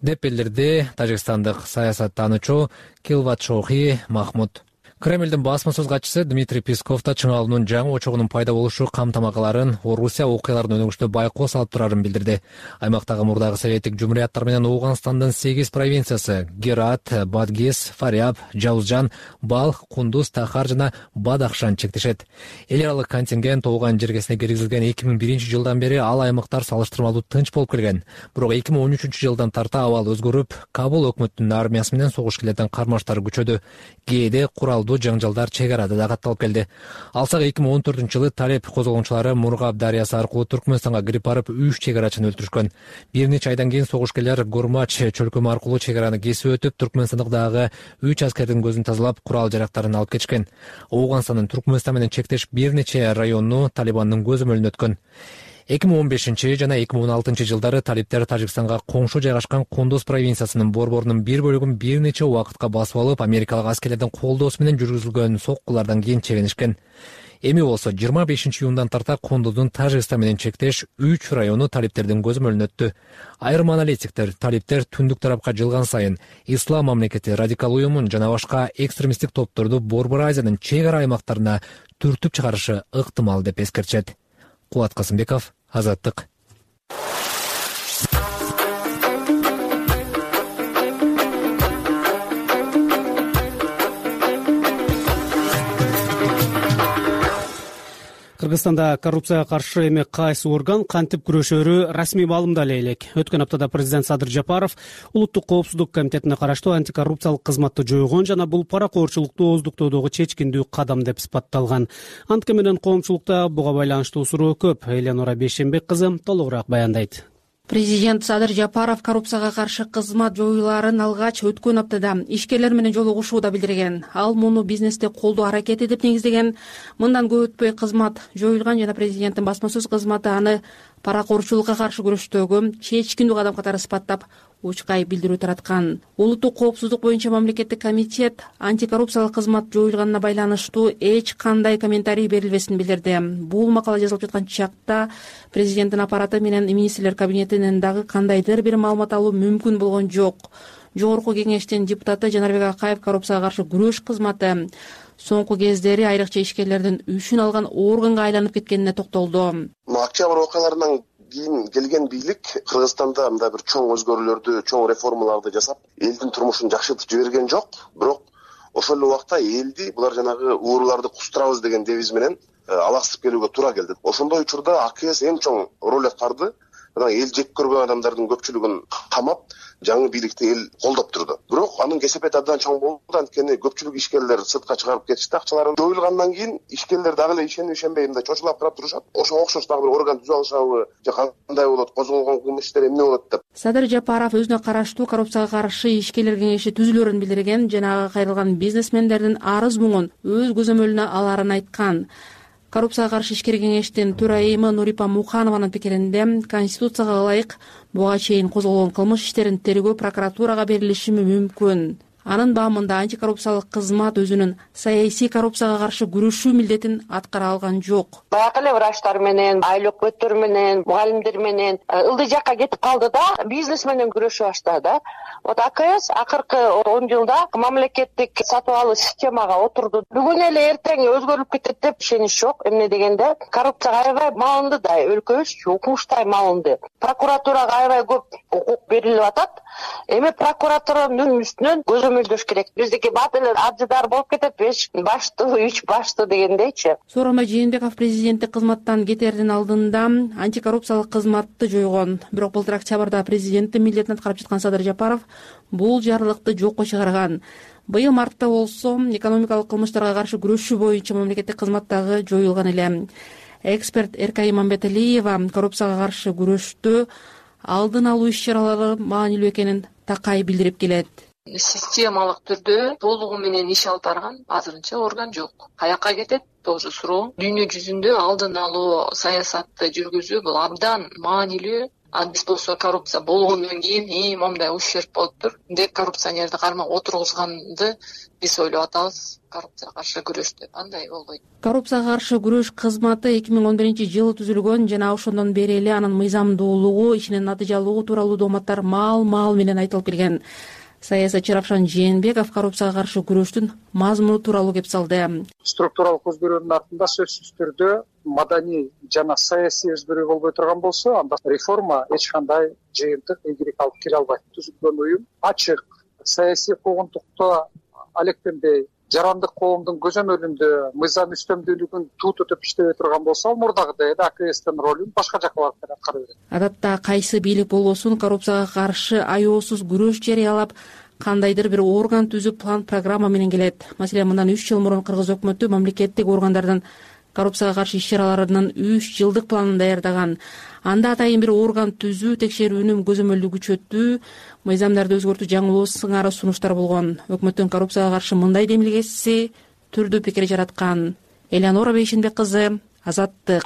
деп билдирди тажикстандык саясаттануучу Килватшохи Махмуд. Кремлдин басма сөз катчысы Дмитрий Песков да чыңалуунун жаңы очогунун пайда болушу камтамакаларын Орусия окуяларын өнүгүштө байкоо салып турарын билдирди. Аймактагы мурдагы советтик жумурияттар менен Ооганстандын сегиз провинциясы Герат, Бадгис, Фаряб, Жаузжан, Балх, Кундуз, Тахар жана Бадахшан чектешет. Эл аралык контингент Ооган жергесине киргизилген эки миң биринчи жылдан бери ал аймактар салыштырмалуу тынч болуп келген. Бирок эки миң он үчүнчү жылдан тарта абал өзгөрүп, Кабул өкмөтүнүн армиясы менен согушкерлердин кармаштары күчөдү. Кээде куралдуу жаңжалдар чек арада да катталып келди. Алсак эки миң он төртүнчү жылы Талеп козголгончулары Мургаб дарыясы аркылуу Түркмөнстанга кирип барып үч чек арачыны өлтүрүшкөн. Бир нече айдан кийин согушкерлер Гормач чөлкөмү аркылуу чек араны кесип өтүп, Түркмөнстандагы үч аскердин көзүн тазалап, курал жарактарын алып кетишкен. Ооганстандын Түркмөнстан менен чектеш бир нече району Талибандын көзөмөлүнө өткөн. эки миң он бешинчи жана эки миң он алтынчы жылдары талиптер Тажикстанга коңшу жайгашкан Кундуз провинциясынын борборунун бир бөлүгүн бир нече убакытка басып алып, америкалык аскерлердин колдоосу менен жүргүзүлгөн соккулардан кийин чегинишкен. Эми болсо жыйырма бешинчи июндан тарта Кундуздун Тажикстан менен чектеш үч району талиптердин көзөмөлүнө өттү. Айрым аналитиктер талиптер түндүк тарапка жылган сайын Ислам мамлекети, радикал уюмун жана башка экстремисттик топторду Борбор Азиянын чек ара аймактарына түртүп чыгарышы ыктымал деп эскертишет. Кубат Касымбеков, Азаттык. Кыргызстанда коррупцияга каршы эми кайсы орган кантип күрөшөрү расмий маалымдале элек. Өткөн аптада президент Садыр Жапаров улуттук коопсуздук комитетине караштуу антикоррупциялык кызматты жойгон жана бул паракорчулукту ооздуктоодогу чечкиндүү кадам деп сыпатталган. Антке менен коомчулукта буга байланыштуу суроо көп. Элянора Бейшенбек кызы толугураак баяндайт. Президент Садыр Жапаров коррупцияга каршы кызмат жоюларын алгач өткөн аптада ишкерлер менен жолугушууда билдирген. Ал муну бизнесте колдоо аракети деп негиздеген. Мындан көп өтпөй кызмат жоюлган жана президенттин басма сөз кызматы аны паракорчулукка каршы күрөштөгү чечкиндүү кадам катары сыпаттап учкай билдирүү тараткан. Улуттук коопсуздук боюнча мамлекеттик комитет антикоррупциялык кызмат жоюлганына байланыштуу эч кандай комментарий берилбесин билдирди. Бул макала жазылып жаткан чакта президенттин аппараты менен министрлер кабинетинен дагы кандайдыр бир маалымат алуу мүмкүн болгон жок. Жогорку кеңештин депутаты Жанарбек Акаев коррупцияга каршы күрөш кызматы соңку кездери айрыкча ишкерлердин үчүн алган органга айланып кеткенине токтолду. Октябрь окуяларынан кийин келген бийлик Кыргызстанда мындай бир чоң өзгөрүүлөрдү, чоң реформаларды жасап, элдин турмушун жакшыртып жиберген жок. Бирок ошол эле убакта элди булар жанагы ууруларды кустурабыз деген девиз менен алаксып келүүгө туура келди. Ошондой учурда АКС эң чоң роль аткарды. Эл жек көргөн адамдардын көпчүлүгүн камап, жаңы бийликти эл колдоп турду. Бирок анын кесепети абдан чоң болду. Анткени көпчүлүк ишкерлер сыртка чыгарып кетишти. Акчалары жоюлгандан кийин ишкерлер дагы эле ишенип ишенбей мындай чочулап карап турушат. Ошого окшош дагы бир орган түзүп алышабы, же кандай болот, козголгон кылмыш иштери эмне болот деп. Садыр Жапаров өзүнө караштуу коррупцияга каршы ишкерлер кеңеши түзүлөрүн билдирген жана ага кайрылган бизнесмендердин арыз муңун өз көзөмөлүнө аларын айткан. Коррупцияга каршы ишкер кеңештин төрайымы Нурипа Муханованын пикиринде Конституцияга ылайык буга чейин козголгон кылмыш иштерин тергөө прокуратурага берилиши мүмкүн. Анын баамында антикоррупциялык кызмат өзүнүн саясий коррупцияга каршы күрөшүү милдетин аткара алган жок. Баягы эле врачтар менен, айыл өкмөттөр менен, мугалимдер менен ылдый жакка кетип калды да, бизнес менен күрөшө баштады. Вот АКС акыркы он жылда мамлекеттик сатып алуу системага отурду. Бүгүн эле эртең өзгөрүп кетет деп ишенич жок. Эмне дегенде, коррупцияга аябай маалымды да, өлкөбүз укмуштай маалымды. Прокуратурага аябай көп укук берилип атат. Эми прокуратуранын үстүнөн көзөмөлдөш керек. Биздики бат эле абжыдар болуп кетет, беш баштуу, үч баштуу дегендейчи. Сооронбай Жээнбеков президенттик кызматтан кетердин алдында антикоррупциялык кызматты жойгон. Бирок былтыр октябрда президенттин милдетин аткарып жаткан Садыр Жапаров бул жарлыкты жокко чыгарган. Быйыл мартта болсо экономикалык кылмыштарга каршы күрөшүү боюнча мамлекеттик кызматтагы жоюлган эле. Эксперт Эркай Имамбеталиева коррупцияга каршы күрөштө алдын алуу иш-чаралары маанилүү экенин такай билдирип келет. Системалык түрдө толугу менен иш алып барган азырынча орган жок. Каяка кетет? Тоже суроо. Дүйнө жүзүндө алдын алуу саясатты жүргүзүү бул абдан маанилүү. А биз болсо коррупция болгондон кийин и момундай ущерб болуптур деп коррупционерди кармап отургузганды биз ойлоп атабыз. Коррупцияга каршы күрөш деп андай болбойт. Коррупцияга каршы күрөш кызматы эки миң он биринчи жылы түзүлгөн жана ошондон бери эле анын мыйзамдуулугу, ишинин натыйжалуулугу тууралуу дооматтар маал-маал менен айтылып келген. Саясатчы Равшан Жээнбеков коррупцияга каршы күрөштүн мазмуну тууралуу кеп салды. Структуралык өзгөрүүнүн артында сөзсүз түрдө маданий жана саясий өзгөрүү болбой турган болсо, анда реформа эч кандай жыйынтык ийгилик алып келе албайт. Түзүлгөн уюм ачык, саясий куугунтукта алектенбей, жарандык коомдун көзөмөлүндө мыйзам үстөмдүүлүгүн туу tutуп иштебей турган болсо, ал мурдагыдай эле АКСтин ролун башка жакка барып аткара берет. Адатта кайсы бийлик болбосун коррупцияга каршы аеосуз күрөш жарыялап, кандайдыр бир орган түзүп, план программа менен келет. Маселен, мындан үч жыл мурун кыргыз өкмөтү мамлекеттик органдардын коррупцияга каршы иш-чараларынын үч жылдык планын даярдаган. Анда атайын бир орган түзүү, текшерүүнүн көзөмөлдүү күчөтүү, мыйзамдарды өзгөртүү жаңылоо сыңары сунуштар болгон. Өкмөттүн коррупцияга каршы мындай демилгеси түрдүү пикир жараткан. Элянора Бейшенбек кызы, Азаттык.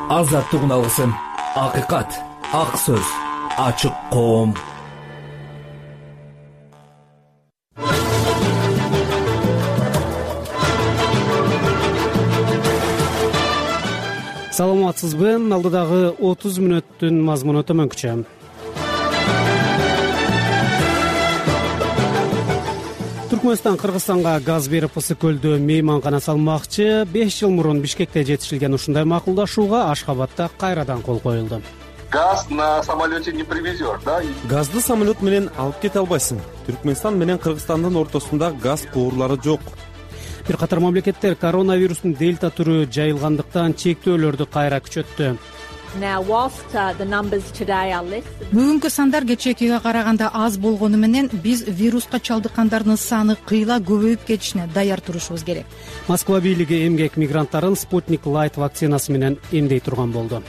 азаттык алгысын. Акыйкат, ак сөз, ачык коом. Саламатсызбы? Алдыдагы отуз мүнөттүн мазмуну төмөнкүчө. Түркмөнстан Кыргызстанга газ берип Ысык көлдө мейманкана салмакчы. беш жыл мурун Бишкекте жетишилген ушундай макулдашууга Ашхабадда кайрадан кол коюлду. Газ на самолете не привезешь, да? Газды самолет менен алып кете албайсың. Түркмөнстан менен Кыргызстандын ортосунда газ куурлары жок. Бир катар мамлекеттер коронавирустун дельта түрү жайылгандыктан чектөөлөрдү кайра күчөттү. Бүгүнкү сандар кечээкиге караганда аз болгону менен биз вируска чалдыккандардын саны кыйла көбөйүп кетишине даяр турушубуз керек. Москва бийлиги эмгек мигранттарын Спутник Лайт вакцинасы менен эмдей турган болду.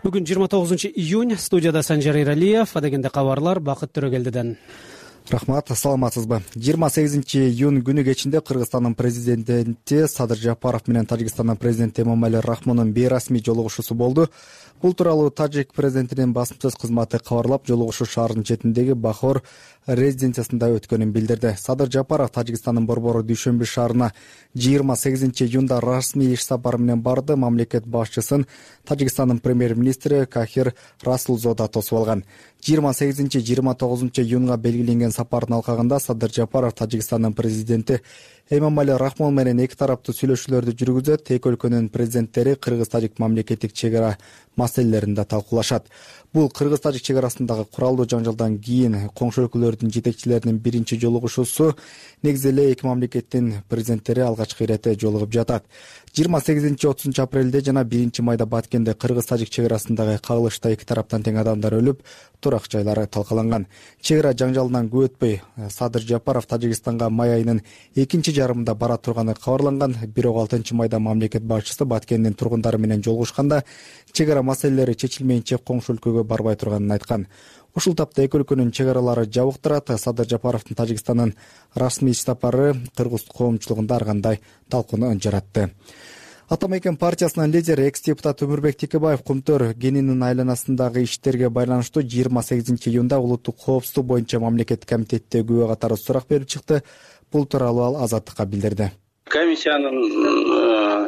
Бүгүн жыйырма тогузунчу июнь, студияда Санжар Эралиев, адегенде кабарлар Бакыт Төрөгелдиден. Рахмат, саламатсызбы? жыйырма сегизинчи июнь күнү кечинде Кыргызстандын президенти Садыр Жапаров менен Тажикстандын президенти Эмомали Рахмондун бейрасмий жолугушуусу болду. Бул тууралуу Тажик президентинин басымсыз кызматы кабарлап, жолугушуу шаардын четиндеги Бахор резиденциясында өткөнүн билдирди. Садыр Жапаров Тажикстандын Борбору Дүйшөмбү шаарына жыйырма сегизинчи июнда расмий иш сапары менен барды. Мамлекет башчысын Тажикстандын премьер-министри Кахир Расулзода тосуп алган. жыйырма сегизинчи жыйырма тогузунчу июнга белгиленген сапардын алкагында Садыр Жапаров Тажикстандын президенти Эмомали Рахмон менен эки тараптуу сүйлөшүүлөрдү жүргүзөт. Эки өлкөнүн президенттери кыргыз-тажик мамлекеттик чек ара маселелерин да талкуулашат. Бул кыргыз-тажик чек арасындагы куралдуу жаңжалдан кийин коңшу өлкөлөрдүн жетекчилеринин биринчи жолугушуусу. Негизи эле эки мамлекеттин президенттери алгачкы ирете жолугуп жатат. жыйырма сегизинчи отузунчу апрелде жана биринчи майда Баткенде кыргыз-тажик чек арасындагы кагылышта эки тараптан тең адамдар өлүп, турак жайлары талкаланган. Чек ара жаңжалынан көп өтпөй Садыр Жапаров Тажикстанга май айынын экинчи жарымында бара турганы кабарланган. Бирок алтынчы майда мамлекет башчысы Баткендин тургундары менен жолугушканда чек ара маселелери чечилмейинче коңшу өлкөгө барбай турганын айткан. Ушул тапта эки өлкөнүн чек аралары жабык турат. Садыр Жапаровдун Тажикстандын расмий иш сапары кыргыз коомчулугунда ар кандай талкууну жаратты. Атамекен партиясынын лидери экс-депутат Өмүрбек Текебаев Кумтөр кенинин айланасындагы иштерге байланыштуу жыйырма сегизинчи июнда улуттук коопсуздук боюнча мамлекеттик комитетте күбө катары сурак берип чыкты. Бул тууралуу ал Азаттыкка билдирди. Комиссиянын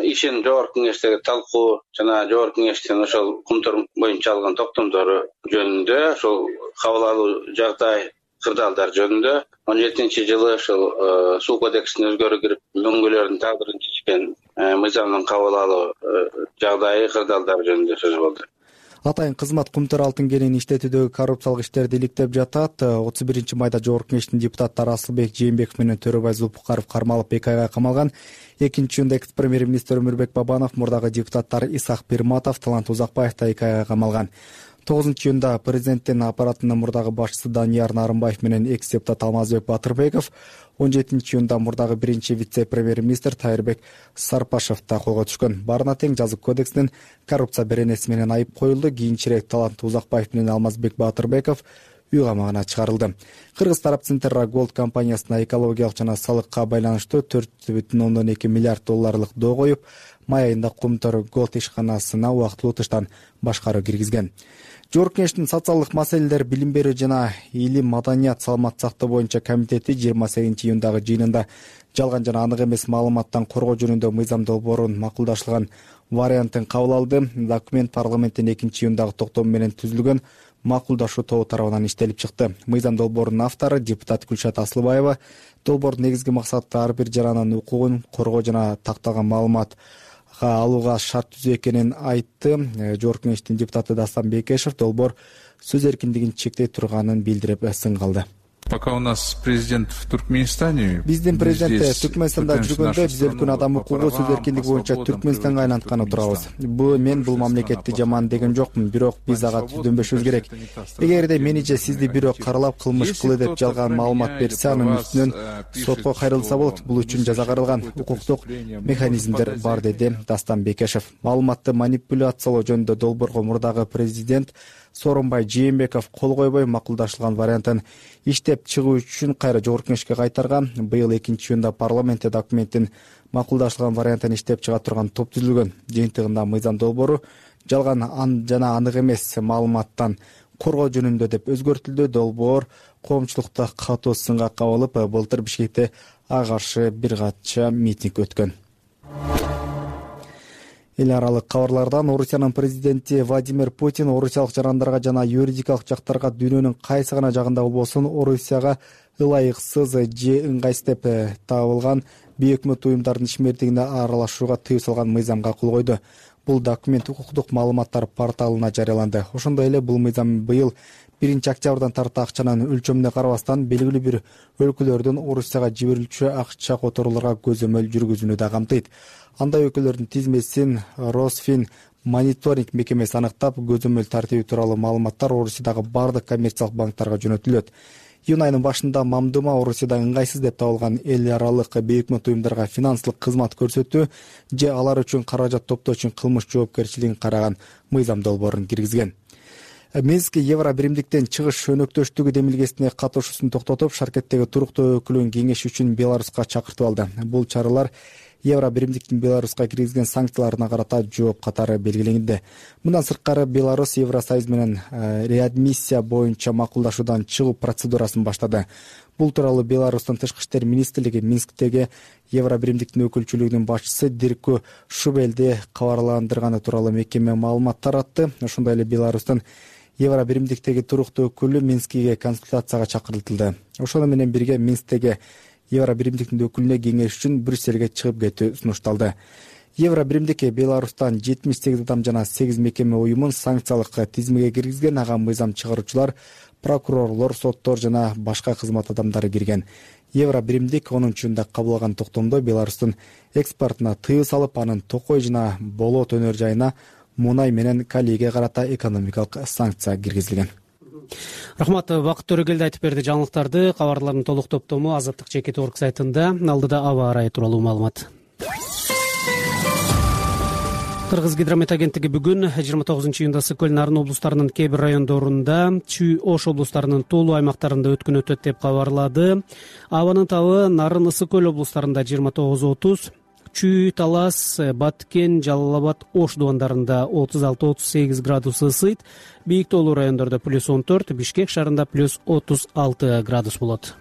ишин жогорку кеңештеги талкуу жана жогорку кеңештин ошол Кумтөр боюнча алган токтомдору жөнүндө, ошол кабыл алуу жагдай кырдаалдар жөнүндө он жетинчи жылы ошол суу кодексине өзгөрүү кирип мөңгүлөрдүн тагдырын чечкен мыйзамдын кабыл алуу жагдайы кырдаалдар жөнүндө сөз болду. Атайын кызмат Кумтөр алтын кенин иштетүүдөгү коррупциялык иштерди иликтеп жатат. отуз биринчи майда жогорку кеңештин депутаттары Асылбек Жээнбеков менен Төрөбай Зулпукаров кармалып эки айга камалган. Экинчи июнда экс-премьер-министр Өмүрбек Бабанов, мурдагы депутаттар Исак Пирматов, Талант Узакбаев да эки айга камалган. тогузунчу июнда президенттин аппаратынын мурдагы башчысы Данияр Нарымбаев менен экс-депутат Алмазбек Батырбеков, он жетинчи июнда мурдагы биринчи вице-премьер-министр Тайырбек Сарпашев да колго түшкөн. Баарына тең жазык кодексинин коррупция беренеси менен айып коюлду. Кийинчерээк Талант Узакбаев менен Алмазбек Батырбеков үй камагына чыгарылды. Кыргыз тарап Центерра Голд компаниясына экологиялык жана салыкка байланыштуу төрт бүтүн ондон эки миллиард долларлык доо коюп, май айында Кумтөр Голд ишканасына убактылуу тыштан башкаруу киргизген. Жогорку кеңештин социалдык маселелер, билим берүү жана илим, маданият, саламат сактоо боюнча комитети жыйырма сегизинчи июндагы жыйынында жалган жана анык эмес маалыматтан коргоо жөнүндө мыйзам долбоорун макулдашылган вариантын кабыл алды. Документ парламенттин экинчи июндагы токтому менен түзүлгөн макулдашуу тобу тарабынан иштелип чыкты. Мыйзам долбоорунун автору депутат Гүлшат Асылбаева долбоордун негизги максаты ар бир жарананын укугун коргоо жана такталган маалымат алууга шарт түзүү экенин айтты. Жогорку кеңештин депутаты Дастан Бекешев долбоор сөз эркиндигин чектей турганын билдирип сын калды. Пока у нас президент в Туркменистане. Биздин президент Түркмөнстанда жүргөндө биз өлкөнүн адам укугу, сөз эркиндиги боюнча Түркмөнстанга айлантканы турабыз. Бул мен бул мамлекетти жаман деген жокмун, бирок биз ага түздөнбөшүбүз керек. Эгерде мени же сизди бирөө каралап кылмыш кылды деп жалган маалымат берсе, анын үстүнөн сотко кайрылса болот. Бул үчүн жаза каралган укуктук механизмдер бар, деди Дастан Бекешев. Маалыматты манипуляциялоо жөнүндө долбоорго мурдагы президент Сооронбай Жээнбеков кол койбой макулдашылган вариантын иштеп чыгуу үчүн кайра жогорку кеңешке кайтарган. Быйыл экинчи июнда парламентте документтин макулдашылган вариантын иштеп чыга турган топ түзүлгөн. Жыйынтыгында мыйзам долбоору жалган жана анык эмес маалыматтан коргоо жөнүндө деп өзгөртүлдү. Долбоор коомчулукта катуу сынга кабылып, былтыр Бишкекте ага каршы бир кача митинг өткөн. Эл аралык кабарлардан Орусиянын президенти Владимир Путин орусиялык жарандарга жана юридикалык жактарга дүйнөнүн кайсы гана жагында болбосун Орусияга ылайыксыз же ыңгайсыз деп табылган бейөкмөт уюмдардын ишмердигине аралашууга тыюу салган мыйзамга кол койду. Бул документ укуктук маалыматтар порталына жарыяланды. Ошондой эле бул мыйзам быйыл биринчи октябрдан тарта акчанын өлчөмүнө карабастан белгилүү бир өлкөлөрдөн Орусияга жиберилчү акча которууларга көзөмөл жүргүзүүнү да камтыйт. Андай өлкөлөрдүн тизмесин Росфин мониторинг мекемеси аныктап, көзөмөл тартиби тууралуу маалыматтар Орусиядагы бардык коммерциялык банктарга жөнөтүлөт. Июнь айынын башында Мамдума Орусияда ыңгайсыз деп табылган эл аралык бейөкмөт уюмдарга финансылык кызмат көрсөтүү же алар үчүн каражат топтоо үчүн кылмыш жоопкерчилигин караган мыйзам долбоорун киргизген. Минск Евро биримдиктен чыгыш өнөктөштүгү демилгесине катышуусун токтотуп, Шаркеттеги туруктуу өкүлүн кеңеш үчүн Беларуска чакыртып алды. Бул чаралар Евро биримдиктин Беларуска киргизген санкцияларына карата жооп катары белгиленди. Мындан сырткары Беларусь Евросоюз менен реадмиссия боюнча макулдашуудан чыгуу процедурасын баштады. Бул тууралуу Беларустун тышкы иштер министрлиги Минсктеги Евро биримдиктин өкүлчүлүгүнүн башчысы Дирку Шубелди кабарландырганы тууралуу мекеме маалымат таратты. Ошондой эле Беларустун Евро биримдиктеги туруктуу өкүлү Минскиге консультацияга чакыртылды. Ошону менен бирге Минсктеги Евро биримдиктин өкүлүнө кеңеш үчүн Брюссельге чыгып кетүү сунушталды. Евро биримдик Беларустан жетимиш сегиз адам жана сегиз мекеме уюмун санкциялык тизмеге киргизген. Ага мыйзам чыгаруучулар, прокурорлор, соттор жана башка кызмат адамдары кирген. Евро биримдик онунчу июнда кабыл алган токтомдо Беларустун экспортуна тыюу салып, анын Токой жана Болот өнөр жайына мунай менен калийге карата экономикалык санкция киргизилген. Рахмат, Бакыт Төрөгелди айтып берди жаңылыктарды. Кабарлардын толук топтому Азаттык жеке орг сайтында. Алдыда аба ырайы тууралуу маалымат. Кыргыз гидромет агенттиги бүгүн жыйырма тогузунчу июнда Ысык көл, Нарын облустарынын кээ бир райондорунда, Чүй, Ош облустарынын тоолуу аймактарында өткөн өтөт деп кабарлады. Абанын табы Нарын, Ысык көл облустарында жыйырма тогуз отуз, Чүй, Талас, Баткен, Жалал Абад, Ош дубандарында отуз алты отуз сегиз градус ысыйт. Бийик тоолуу райондордо плюс он төрт, Бишкек шаарында плюс отуз алты градус болот.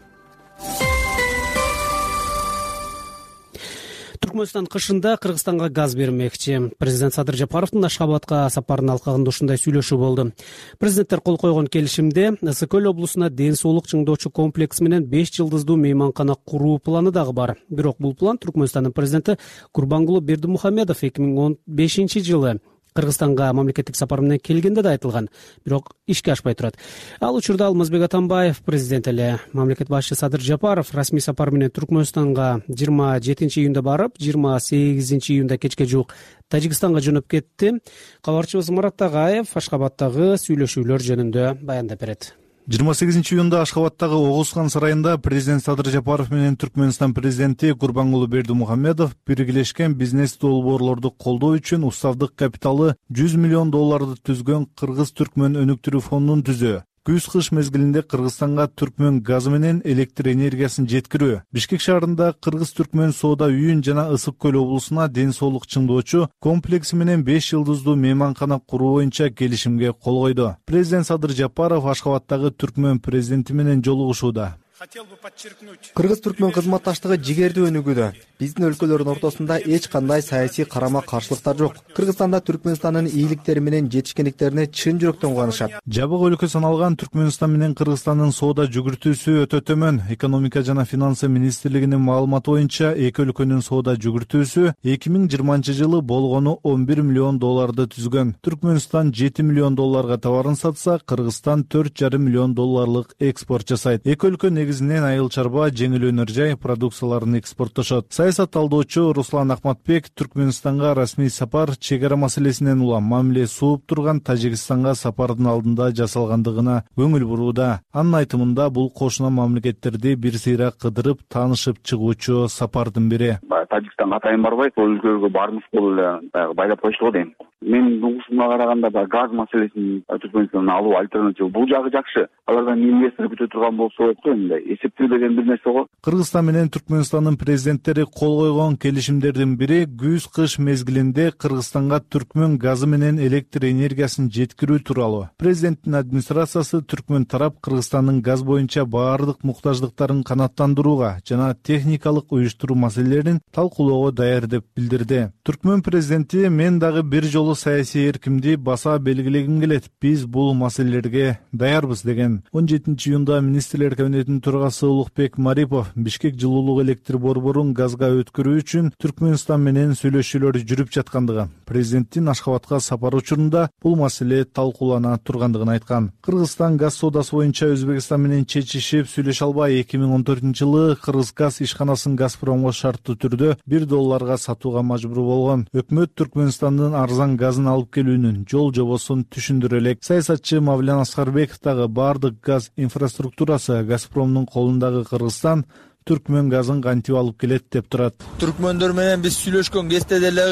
Түркмөнстан кышында Кыргызстанга газ бермекчи. Президент Садыр Жапаровдун Ашхабадка сапарынын алкагында ушундай сүйлөшүү болду. Президенттер кол койгон келишимде Ысык көл облусуна ден соолук чыңдоочу комплекс менен беш жылдыздуу мейманкана куруу планы дагы бар. Бирок бул план Түркмөнстандын президенти Гурбангулы Бердимухамедов эки миң он бешинчи жылы Кыргызстанга мамлекеттик сапар менен келгенде да айтылган, бирок ишке ашпай турат. Ал учурда Алмазбек Атамбаев президент эле. Мамлекет башчысы Садыр Жапаров расмий сапар менен Түркмөнстанга жыйырма жетинчи июнда барып, жыйырма сегизинчи июнда кечке жуук Тажикстанга жөнөп кетти. Кабарчыбыз Марат Тагаев Ашхабадтагы сүйлөшүүлөр жөнүндө баяндап берет. жыйырма сегизинчи июнда Ашхабадтагы Огузхан сарайында президент Садыр Жапаров менен Түркмөнстан президенти Гурбангулы Бердимухамедов биргелешкен бизнес долбоорлорду колдоо үчүн уставдык капиталы жүз миллион долларды түзгөн Кыргыз-Түркмөн өнүктүрүү фондун түзөө. Күз-кыш мезгилинде Кыргызстанга Түркмөн газы менен электр энергиясын жеткирүү. Бишкек шаарында Кыргыз-Түркмөн соода үйүн жана Ысык көл облусуна ден соолук чыңдоочу комплекси менен беш жылдыздуу мейманкана куруу боюнча келишимге кол койду. Президент Садыр Жапаров Ашхабадтагы Түркмөн президенти менен жолугушууда. Кыргыз-Түркмөн кызматташтыгы жигердүү өнүгүүдө. Биздин өлкөлөрдүн ортосунда эч кандай саясий карама-каршылыктар жок. Кыргызстанда Түркмөнстандын ийгиликтери менен жетишкендиктерине чын жүрөктөн кубанышат. Жабык өлкө саналган Түркмөнстан менен Кыргызстандын соода жүгүртүүсү өтө төмөн. Экономика жана финансы министрлигинин маалыматы боюнча эки өлкөнүн соода жүгүртүүсү эки миң жыйырманчы жылы болгону он бир миллион долларды түзгөн. Түркмөнстан жети миллион долларга товарын сатса, Кыргызстан төрт жарым миллион долларлык экспорт жасайт. Эки өлкө негизинен айыл чарба, жеңил өнөр жай продукцияларын экспорттошот. Саясат талдоочу Руслан Акматбек Түркмөнстанга расмий сапар чек ара маселесинен улам мамиле сууп турган Тажикстанга сапардын алдында жасалгандыгына көңүл бурууда. Анын айтымында бул кошуна мамлекеттерди бир сыйра кыдырып, таанышып чыгуучу сапардын бири. Тажикстанга атайын барбайт, бул өлкөгө бармыш болуп эле байлап коюшту го дейм. Менин угушумга караганда да газ маселесин Түркмөнстандан алуу альтернатива бул жагы жакшы. Алардан инвестор күтө турган болсо болот го, мындай эсептелбеген бир нерсе го. Кыргызстан менен Түркмөнстандын президенттери кол койгон келишимдердин бири күз-кыш мезгилинде Кыргызстанга түркмөн газы менен электр энергиясын жеткирүү тууралуу. Президенттин администрациясы түркмөн тарап Кыргызстандын газ боюнча баардык муктаждыктарын канааттандырууга жана техникалык уюштуруу маселелерин талкуулоого даяр деп билдирди. Түркмөн президенти: мен дагы бир жолу саясий эркимди баса белгилегим келет. Биз бул маселелерге даярбыз деген. он жетинчи июнда министрлер кабинетинин төрагасы Улукбек Марипов Бишкек жылуулук электр борборун газга өткөрүү үчүн Түркмөнстан менен сүйлөшүүлөр жүрүп жаткандыгы, президенттин Ашхабадка сапары учурунда бул маселе талкуулана тургандыгын айткан. Кыргызстан газ соодасы боюнча Өзбекстан менен чечишип сүйлөшө албай эки миң он төртүнчү жылы Кыргызгаз ишканасын Газпромго шарттуу түрдө бир долларга сатууга мажбур болгон. Өкмөт Түркмөнстандын арзан газын алып келүүнүн жол жобосун түшүндүрө элек. Саясатчы Мавлян Аскарбеков дагы бардык газ инфраструктурасы Газпромдун колундагы Кыргызстан түркмөн газын кантип алып келет деп турат. Түркмөндөр менен биз сүйлөшкөн кезде деле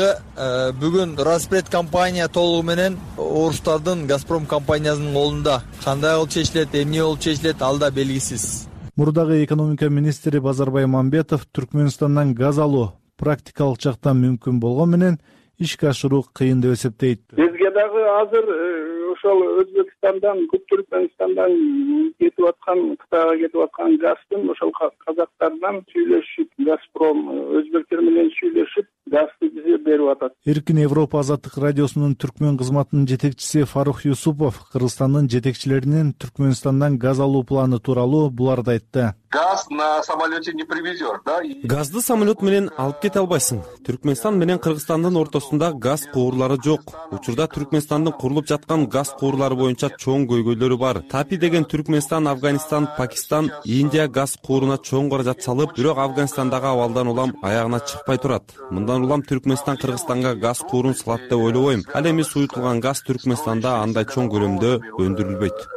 бүгүн Распред компания толугу менен орустардын Газпром компаниясынын колунда. Кандай болуп чечилет, эмне болуп чечилет, ал да белгисиз. Мурдагы экономика министри Базарбай Мамбетов Түркмөнстандан газ алуу практикалык жактан мүмкүн болгон менен ишке ашыруу кыйын деп эсептейт. Бизге дагы азыр ошол Өзбекстандан, Түркмөнстандан кетип аткан, Кытайга кетип аткан газдын ошол казактардан сүйлөшүп, Газпром өзбектер менен сүйлөшүп, газды бизге берип атат. Эркин Европа азаттык радиосунун түркмөн кызматынын жетекчиси Фарух Юсупов Кыргызстандын жетекчилеринин Түркмөнстандан газ алуу планы тууралуу буларды айтты. Газ на самолете не привезешь, да? Газды самолет менен алып кете албайсың. Түркмөнстан менен Кыргызстандын ортосунда газ куурлары жок. Учурда Түркмөнстандын курулуп жаткан газ куурлары боюнча чоң көйгөйлөрү бар. Тапи деген Түркмөнстан, Афганистан, Пакистан, Индия газ кууруна чоң каражат салып, бирок Афганистандагы абалдан улам аягына чыкпай турат. Мындан улам Түркмөнстан Кыргызстанга газ куурун салат деп ойлобойм. Ал эми суютулган газ Түркмөнстанда андай чоң көлөмдө өндүрүлбөйт.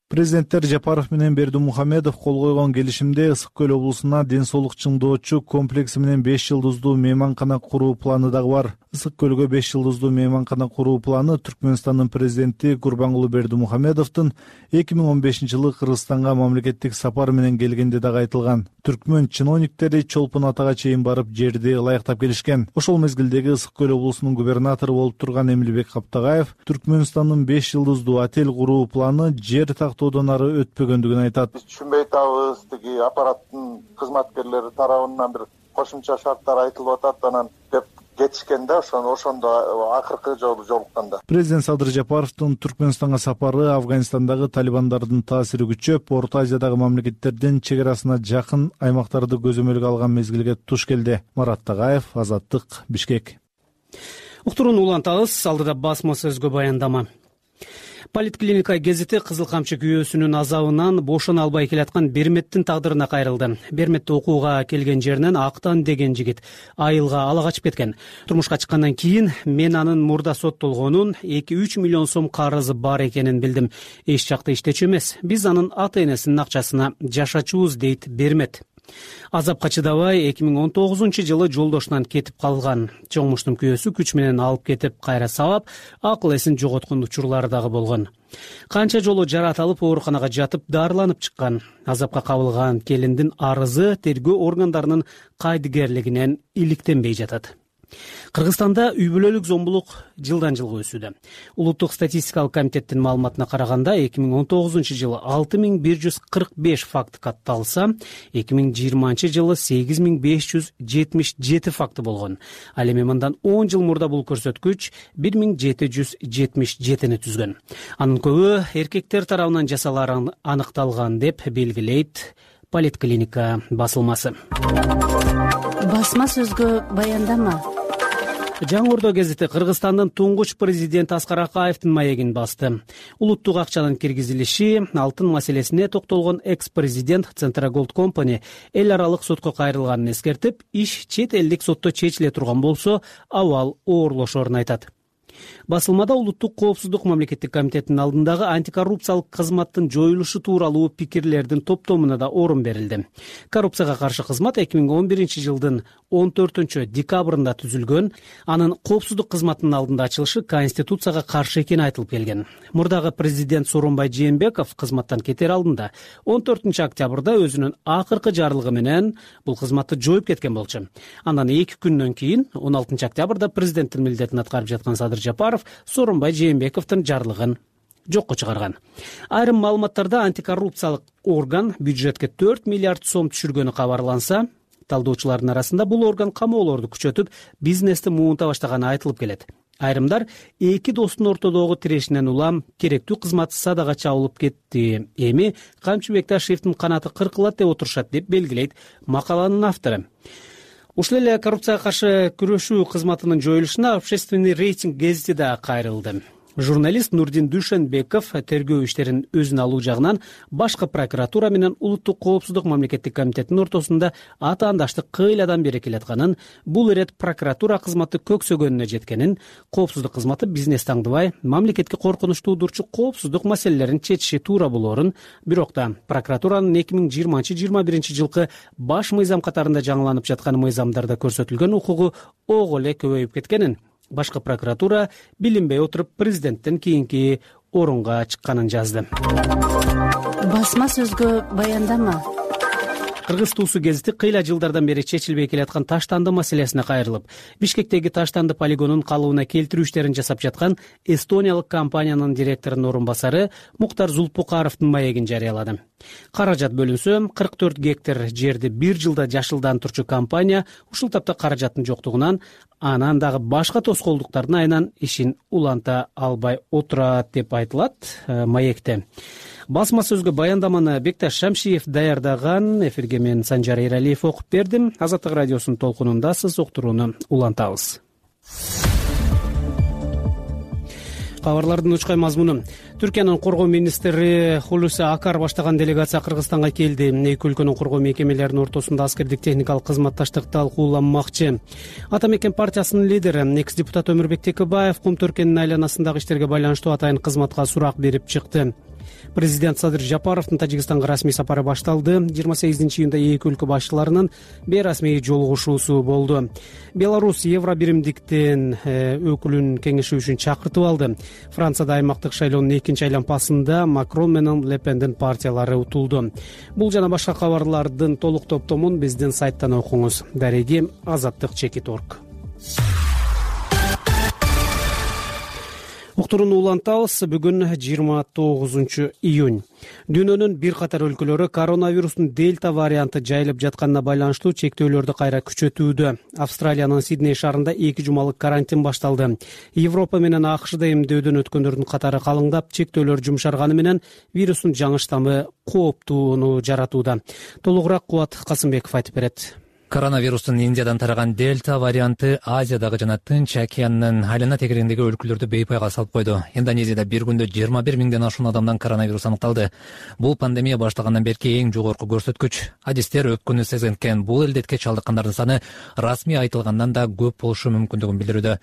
Президенттер Жапаров менен Бердимухамедов кол койгон келишимде Ысык көл облусуна ден соолук чыңдоочу комплекси менен беш жылдыздуу мейманкана куруу планы дагы бар. Ысык көлгө беш жылдыздуу мейманкана куруу планы Түркмөнстандын президенти Гурбангулы Бердимухамедовдун эки миң он бешинчи жылы Кыргызстанга мамлекеттик сапар менен келгенде дагы айтылган. Түркмөн чиновниктери Чолпон Атага чейин барып жерди ылайыктап келишкен. Ошол мезгилдеги Ысык көл облусунун губернатору болуп турган Эмилбек Каптагаев Түркмөнстандын беш жылдыздуу отель куруу планы жер тактоодон ары өтпөгөндүгүн айтат. Биз түшүнбөй атабыз, тиги аппараттын кызматкерлери тарабынан бир кошумча шарттар айтылып атат, анан деп кетишкен да, ошондо ошондо акыркы жолу жолукканда. Президент Садыр Жапаровдун Түркмөнстанга сапары Афганистандагы талибандардын таасири күчөп, Орто Азиядагы мамлекеттердин чек арасына жакын аймактарды көзөмөлгө алган мезгилге туш келди. Марат Тагаев, Азаттык, Бишкек. Уктурууну улантабыз, алдыда басма сөзгө баяндама. Политклиника гезити Кызыл камчы күйөөсүнүн азабынан бошоно албай келаткан Берметтин тагдырына кайрылды. Берметте окууга келген жеринен Актан деген жигит айылга ала качып кеткен. Турмушка чыккандан кийин мен анын мурда соттолгонун, эки үч миллион сом карызы бар экенин билдим. Эч жакта иштечү эмес. Биз анын ата энесинин акчасына жашачубуз, дейт Бермет. Азапка чыдабай эки миң он тогузунчу жылы жолдошунан кетип калган. Чоңмуштун күйөөсү күч менен алып кетип кайра сабап, акыл эсин жоготкон учурлары дагы болгон. Канча жолу жаратылып ооруканага жатып дарыланып чыккан. Азапка кабылган келиндин арызы тергөө органдарынын кайдыгерлигинен иликтенбей жатат. Кыргызстанда үй бүлөлүк зомбулук жылдан жылга өсүүдө. Улуттук статистикалык комитеттин маалыматына караганда эки миң он тогузунчу жылы алты миң бир жүз кырк беш факт катталса, эки миң жыйырманчы жылы сегиз миң беш жүз жетимиш жети факты болгон. Ал эми мындан он жыл мурда бул көрсөткүч бир миң жети жүз жетимиш жетини түзгөн. Анын көбү эркектер тарабынан жасалары аныкталган деп белгилейт Политклиника басылмасы. Басма сөзгө баяндама. Жаңы Ордо гезити Кыргызстандын туңгуч президенти Аскар Акаевдин маегин басты. Улуттук акчанын киргизилиши, алтын маселесине токтолгон экс-президент Центроголд компани эл аралык сотко кайрылганын эскертип, иш чет элдик сотто чечиле турган болсо, абал оорлошорун айтат. Басылмада Улуттук коопсуздук мамлекеттик комитетинин алдындагы антикоррупциялык кызматтын жоюлушу тууралуу пикирлердин топтомуна да орун берилди. Коррупцияга каршы кызмат эки миң он биринчи жылдын он төртүнчү декабрында түзүлгөн. Анын коопсуздук кызматынын алдында ачылышы Конституцияга каршы экени айтылып келген. Мурдагы президент Сооронбай Жээнбеков кызматтан кетер алдында он төртүнчү октябрда өзүнүн акыркы жарлыгы менен бул кызматты жоюп кеткен болчу. Андан эки күндөн кийин он алтынчы октябрда президенттин милдетин аткарып жаткан Садыр Жапаров Сооронбай Жээнбековдун жарлыгын жокко чыгарган. Айрым маалыматтарда антикоррупциялык орган бюджетке төрт миллиард сом түшүргөнү кабарланса, талдоочулардын арасында бул орган камоолорду күчөтүп, бизнести муунта баштаганы айтылып келет. Айрымдар эки достун ортодогу тирешинен улам керектүү кызмат садага чабылып кетти. Эми Камчы Бекташевдин канаты кыркылат деп отурушат, деп белгилейт макаланын автору. Ушул эле коррупцияга каршы күрөшүү кызматынын жоюлушуна Общественный рейтинг гезити да кайрылды. Журналист Нурдин Дүйшөнбеков тергөө иштерин өзүнө алуу жагынан башкы прокуратура менен Улуттук коопсуздук мамлекеттик комитетинин ортосунда атаандаштык кыйладан бери келатканын, бул ирет прокуратура кызматы көксөгөнүнө жеткенин, коопсуздук кызматы бизнес таңдыбай, мамлекетке коркунуч туудурчу коопсуздук маселелерин чечиши туура болоорун, бирок да прокуратуранын эки миң жыйырманчы жыйырма биринчи жылкы баш мыйзам катарында жаңыланып жаткан мыйзамдарда көрсөтүлгөн укугу ого эле көбөйүп кеткенин, башкы прокуратура билинбей отуруп президенттен кийинки орунга чыкканын жазды. Басма сөзгө баяндама. Кыргыз туусу гезити кыйла жылдардан бери чечилбей келаткан таштанды маселесине кайрылып, Бишкектеги таштанды полигонун калыбына келтирүү иштерин жасап жаткан эстониялык компаниянын директорунун орун басары Муктар Зулпукаровдун маегин жарыялады. Каражат бөлүнсө, кырк төрт гектар жерди бир жылда жашылдандырчу компания ушул тапта каражаттын жоктугунан, анан дагы башка тоскоолдуктардын айынан ишин уланта албай отурат деп айтылат маекте. Басма сөзгө баяндаманы Бекташ Шамшиев даярдаган. Эфирге мен Санжар Эралиев окуп бердим. Азаттык радиосунун толкунунда сиз уктурууну улантабыз. Кабарлардын учкай мазмуну. Түркиянын коргоо министри Хулуси Акар баштаган делегация Кыргызстанга келди. Эки өлкөнүн коргоо мекемелеринин ортосунда аскердик техникалык кызматташтык талкууланмакчы. Ата мекен партиясынын лидери, экс депутат Өмүрбек Текебаев кум Түркиянын айланасындагы иштерге байланыштуу атайын кызматка сурак берип чыкты. Президент Садыр Жапаровдун Тажикстанга расмий сапары башталды. жыйырма сегизинчи июнда эки өлкө башчыларынын бейрасмий жолугушуусу болду. Беларусь Евро биримдиктин өкүлүн кеңешүү үчүн чакыртып алды. Францияда аймактык шайлоонун экинчи айланпасында Макрон менен Ле Пендин партиялары утулду. Бул жана башка кабарлардын толук топтомун биздин сайттан окуңуз. Дареги азаттык чекит точка орг. Уктурууну улантабыз. Бүгүн жыйырма тогузунчу июнь. Дүйнөнүн бир катар өлкөлөрү коронавирустун дельта варианты жайылып жатканына байланыштуу чектөөлөрдү кайра күчөтүүдө. Австралиянын Сидней шаарында эки жумалык карантин башталды. Европа менен АКШда эмдөөдөн өткөндөрдүн катары калыңдап, чектөөлөр жумшарганы менен вирустун жаңы штаммы кооптууну жаратууда. Толугураак Кубат Касымбеков айтып берет. Коронавирустун Индиядан тараган дельта варианты Азиядагы жана Тынч океанынын айлана тегерегиндеги өлкөлөрдү бейпайга салып койду. Индонезияда бир күндө жыйырма бир миңден ашуун адамдан коронавирус аныкталды. Бул пандемия баштагандан берки эң жогорку көрсөткүч. Адистер өпкөнү сезинткен бул илдетке чалдыккандардын саны расмий айтылгандан да көп болушу мүмкүндүгүн билдирүүдө.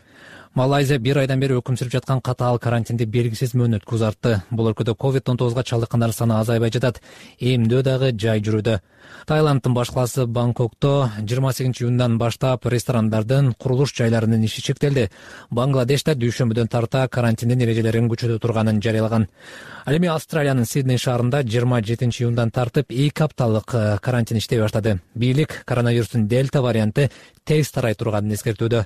Малайзия бир айдан бери өкүм сүрүп жаткан катаал карантинди белгисиз мөөнөткө узартты. Бул өлкөдө ковид он тогузга чалдыккандардын саны азайбай жатат. Эмдөө дагы жай жүрүүдө. Таиланддын баш калаасы Бангкокто жыйырма сегизинчи июндан баштап ресторандардын, курулуш жайларынын иши чектелди. Бангладеште дүйшөмбүдөн тарта карантиндин эрежелерин күчөтө турганын жарыялаган. Ал эми Австралиянын Сидней шаарында жыйырма жетинчи июндан тартып эки апталык карантин иштей баштады. Бийлик коронавирустун дельта варианты тез тарай турганын эскертүүдө.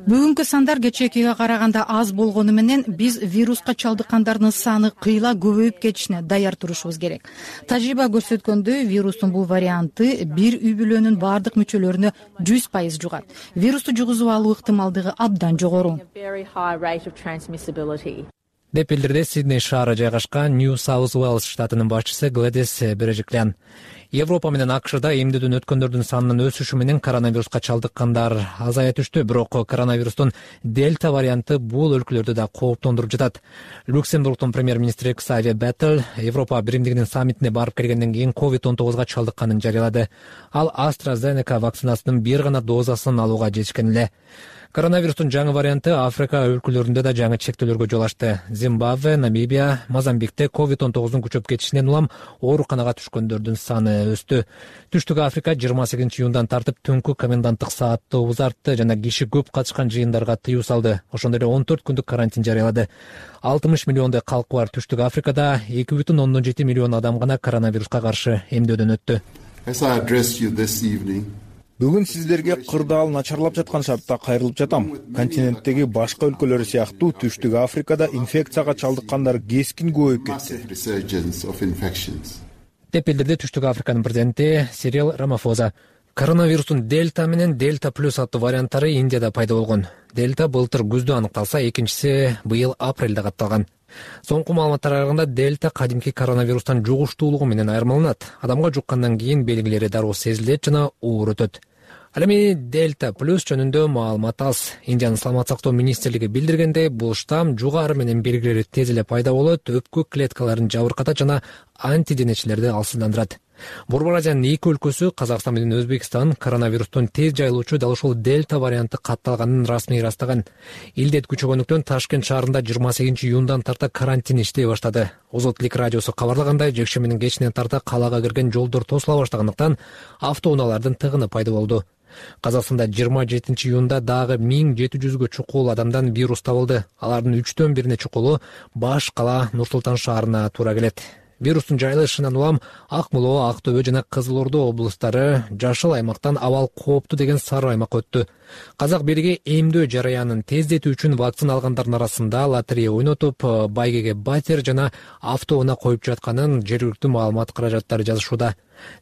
Бүгүнкү сандар кечээкиге караганда аз болгону менен биз вируска чалдыккандардын саны кыйла көбөйүп кетишине даяр турушубуз керек. Тажрыйба көрсөткөндөй, вирустун бул варианты бир үй бүлөнүн бардык мүчөлөрүнө жүз пайыз жугат. Вирусту жугузуп алуу ыктымалдыгы абдан жогору. деп билдирди Сидней шаары жайгашкан Нью Саус Уэльс штатынын башчысы Глэдис Бережиклян. Европа менен АКШда эмдөөдөн өткөндөрдүн санынын өсүшү менен коронавируска чалдыккандар азая түштү, бирок коронавирустун дельта варианты бул өлкөлөрдү да кооптондуруп жатат. Люксембургдун премьер-министри Ксавье Беттель Европа биримдигинин саммитине барып келгенден кийин ковид он тогузга чалдыкканын жарыялады. Ал AstraZeneca вакцинасынын бир гана дозасын алууга жетишкен эле. Коронавирустун жаңы варианты Африка өлкөлөрүндө да жаңы чектөөлөргө жол ачты. Зимбабве, Намибия, Мозамбикте ковид он тогуздун күчөп кетишинен улам ооруканага түшкөндөрдүн саны өстү. Түштүк Африка жыйырма сегизинчи июндан тартып түнкү коменданттык саатты узартты жана киши көп катышкан жыйындарга тыюу салды. Ошондой эле он төрт күндүк карантин жарыялады. алтымыш миллиондой калкы бар Түштүк Африкада эки бүтүн ондон жети миллион адам гана коронавируска каршы эмдөөдөн өттү. Бүгүн сиздерге кырдаал начарлап жаткан шартта кайрылып жатам. Континенттеги башка өлкөлөр сыяктуу Түштүк Африкада инфекцияга чалдыккандар кескин көбөйүп кетти, деп билдирди Түштүк Африканын президенти Сирил Рамафоза. Коронавирустун дельта менен дельта плюс аттуу варианттары Индияда пайда болгон. Дельта былтыр күздө аныкталса, экинчиси быйыл апрелде катталган. Соңку маалыматтар аркында дельта кадимки коронавирустан жугуштуулугу менен айырмаланат. Адамга жуккандан кийин белгилери дароо сезилет жана оор өтөт. Ал эми дельта плюс жөнүндө маалымат аз. Индиянын саламат сактоо министрлиги билдиргендей, бул штамм жугары менен белгилери тез эле пайда болот, өпкө клеткаларын жабыркатат жана антиденечилерди алсыздандырат. Борбор Азиянын эки өлкөсү, Казакстан менен Өзбекстан, коронавирустун тез жайылуучу дал ушул дельта варианты катталганын расмий ырастаган. Илдет күчөгөндүктөн Ташкент шаарында жыйырма сегизинчи июндан тарта карантин иштей баштады. Озотлик радиосу кабарлагандай, жекшембинин кечинен тарта калаага кирген жолдор тосула баштагандыктан автоунаалардын тыгыны пайда болду. Казакстанда жыйырма жетинчи июнда дагы миң жети жүзгө чукул адамдан вирус табылды. Алардын үчтөн бирине чукулу баш кала Нур-Султан шаарына туура келет. Вирустун жайылышынан улам Ак Моло, Ак Төбө жана Кызыл Ордо облустары жашыл аймактан абал кооптуу деген сары аймакка өттү. Казак бириги эмдөө жараянын тездетүү үчүн вакцина алгандардын арасында лотерея ойнотуп, байгеге батер жана автоунаа коюп жатканын жергиликтүү маалымат каражаттары жазышууда.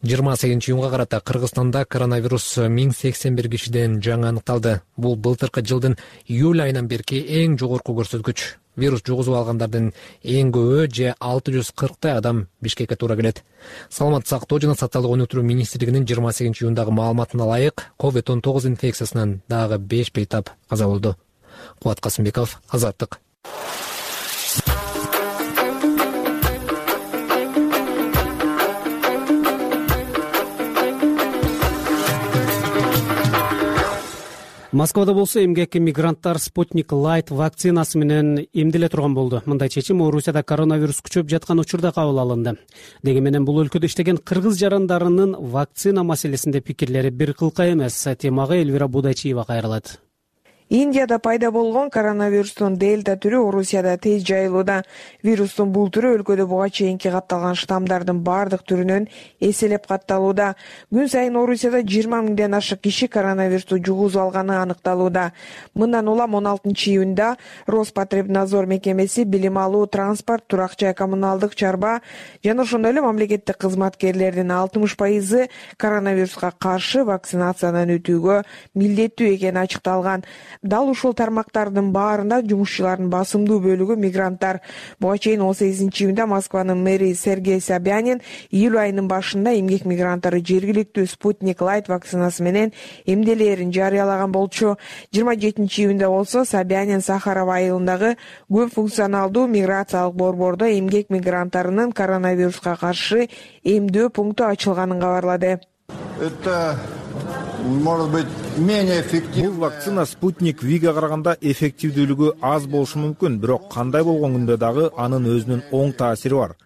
жыйырма сегизинчи июнга карата Кыргызстанда коронавирус миң сексен бир кишиден жаңы аныкталды. Бул былтыркы жылдын июль айынан берки эң жогорку көрсөткүч. Вирус жугузуп алгандардын эң көбү же алты жүз кырктай адам Бишкекке туура келет. Саламат сактоо жана социалдык өнүктүрүү министрлигинин жыйырма сегизинчи июндагы маалыматына ылайык, ковид он тогуз инфекциясынан дагы беш бейтап каза болду. Кубат Касымбеков, Азаттык. Москвада болсо эмгекке мигранттар Спутник Light вакцинасы менен эмделе турган болду. Мындай чечим Орусияда коронавирус күчөп жаткан учурда кабыл алынды. Деги менен бул өлкөдө иштеген кыргыз жарандарынын вакцина маселесинде пикирлери бир кылка эмес. Темага Элвира Будайчиева кайрылат. Индияда пайда болгон коронавирустун дельта түрү Орусияда тез жайылууда. Вирустун бул түрү өлкөдө буга чейинки катталган штаммдардын бардык түрүнөн эселеп катталууда. Күн сайын Орусияда жыйырма миңден ашык киши коронавирусту жугузуп алганы аныкталууда. Мындан улам он алтынчы июнда Роспотребнадзор мекемеси билим алуу, транспорт, турак жай, коммуналдык чарба жана ошондой эле мамлекеттик кызматкерлердин алтымыш пайызы коронавируска каршы вакцинациядан өтүүгө милдеттүү экени ачыкталган. Дал ушул тармактардын баарында жумушчулардын басымдуу бөлүгү мигранттар. Буга чейин он сегизинчи июнда Москванын мэри Сергей Собянин июль айынын башында эмгек мигранттары жергиликтүү Спутник Light вакцинасы менен эмделээрин жарыялаган болчу. жыйырма жетинчи июнда болсо Собянин Сахаров айылындагы көп функционалдуу миграциялык борбордо эмгек мигранттарынын коронавируска каршы эмдөө пункту ачылганын кабарлады. Это может быть менее эффективно. Бул вакцина Спутник Виге караганда эффективдүүлүгү аз болушу мүмкүн, бирок кандай болгон күндө дагы анын өзүнүн оң таасири бар.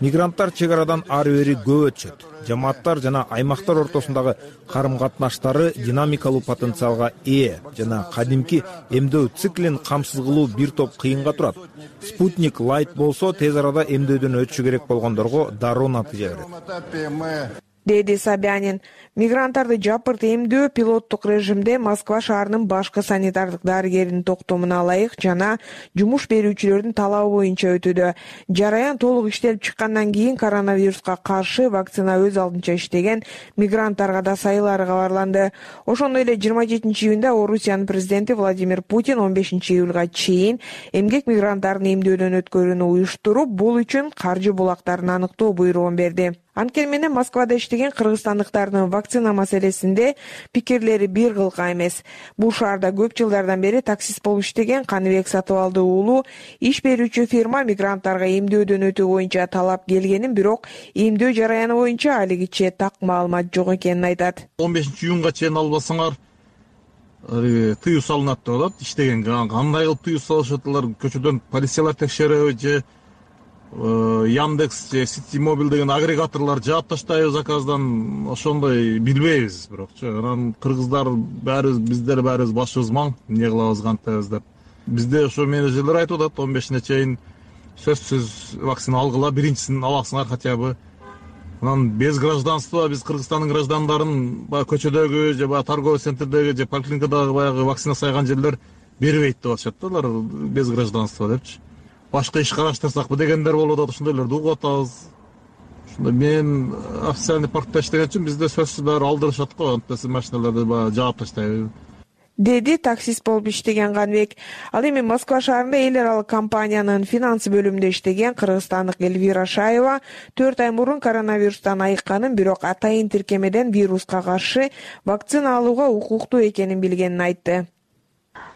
Мигранттар чек арадан ары бери көп өтүшөт. Жамааттар жана аймактар ортосундагы карым-катнаштары динамикалуу потенциалга ээ жана кадимки эмдөө циклин камсыз кылуу бир топ кыйынга турат. Спутник Light болсо тез арада эмдөөдөн өтүшү керек болгондорго дароо натыйжа берет, деди Собянин. Мигранттарды жапырт эмдөө пилоттук режимде Москва шаарынын башкы санитардык дарыгеринин токтомуна ылайык жана жумуш берүүчүлөрдүн талабы боюнча өтүүдө. Жараян толук иштелип чыккандан кийин коронавируска каршы вакцина өз алдынча иштеген мигранттарга да сайылары кабарланды. Ошондой эле жыйырма жетинчи июнда Орусиянын президенти Владимир Путин он бешинчи июлга чейин эмгек мигранттарын эмдөөдөн өткөрүүнү уюштуруп, бул үчүн каржы булактарын аныктоо буйругун берди. Анткени менен Москвада иштеген кыргызстандыктардын вакцина маселесинде пикирлери бир кылка эмес. Бул шаарда көп жылдардан бери таксист болуп иштеген Каныбек Сатыбалды уулу иш берүүчү фирма мигранттарга эмдөөдөн өтүү боюнча талап келгенин, бирок эмдөө жараяны боюнча алигиче так маалымат жок экенин айтат. он бешинчи июнга чейин албасаңар тыюу салынат деп атат иштегенге. Кандай кылып тыюу салышат алар? Көчөдөн полициялар текшереби же Яндекс же Сити Мобил деген агрегаторлор жаап таштайбы заказдан, ошондой билбейбиз. Бирокчу анан кыргыздар баарыбыз биздер баарыбыз башыбыз маң эмне кылабыз кантебиз деп. Бизде ошо менеджерлер айтып атат он бешине чейин сөзсүз вакцина алгыла, биринчисин аласыңар хотя бы. Анан без гражданства биз Кыргызстандын граждандарын баягы көчөдөгү же баягы торговый центрдеги же поликлиникадагы баягы вакцина сайган жерлер бербейт деп атышат да, алар без гражданства депчи. Башка иш караштырсакпы дегендер болуп атат, ошондойлорду угуп атабыз. Ошондо мен официальный паркта иштеген үчүн бизде сөзсүз баары алдырышат го, антесе машиналарды баягы жаап таштайбы, деди таксист болуп иштеген Канбек. Ал эми Москва шаарында эл аралык компаниянын финансы бөлүмүндө иштеген кыргызстандык Эльвира Шаева төрт ай мурун коронавирустан айыкканын, бирок атайын тиркемеден вируска каршы вакцина алууга укуктуу экенин билгенин айтты.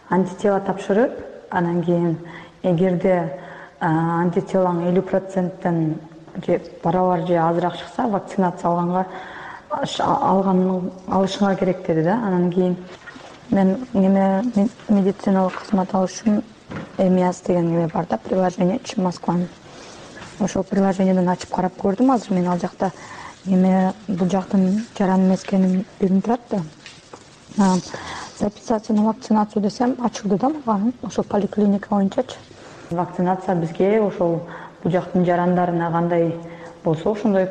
Антитела тапшырып, анан кийин эгерде антителоң элүү проценттен же барабар же азыраак чыкса, вакцинация алганга алганын алышыңар керек деди да. Анан кийин мен неме медициналык кызмат алыш үчүн Эмиас деген неме бар да, приложение чын Москванын. Ошол приложениеден ачып карап көрдүм. Азыр мен ал жакта неме бул жактын жаран эмес экенин билинип турат да. Записаться на вакцинацию десем ачылды да мага, ошол поликлиника боюнчачы. Вакцинация бизге ошол бул жактын жарандарына кандай болсо ошондой,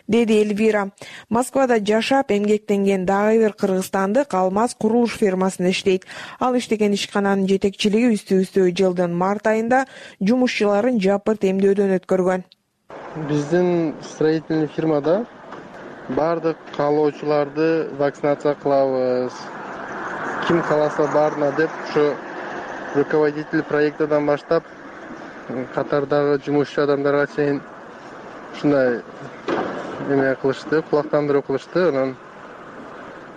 деди Эльвира. Москвада жашап эмгектенген дагы бир кыргызстандык Алмаз курулуш фирмасында иштейт. Ал иштеген ишкананын жетекчилиги үстү-үстү жылдын март айында жумушчуларын жапырт эмдөөдөн өткөргөн. Биздин строительный фирмада бардык каалоочуларды вакцинация кылабыз. Ким кааласа барына деп ушу руководитель проекттан баштап катардагы жумушчу адамдарга чейин ушундай эме кылышты, кулактандыруу кылышты. Анан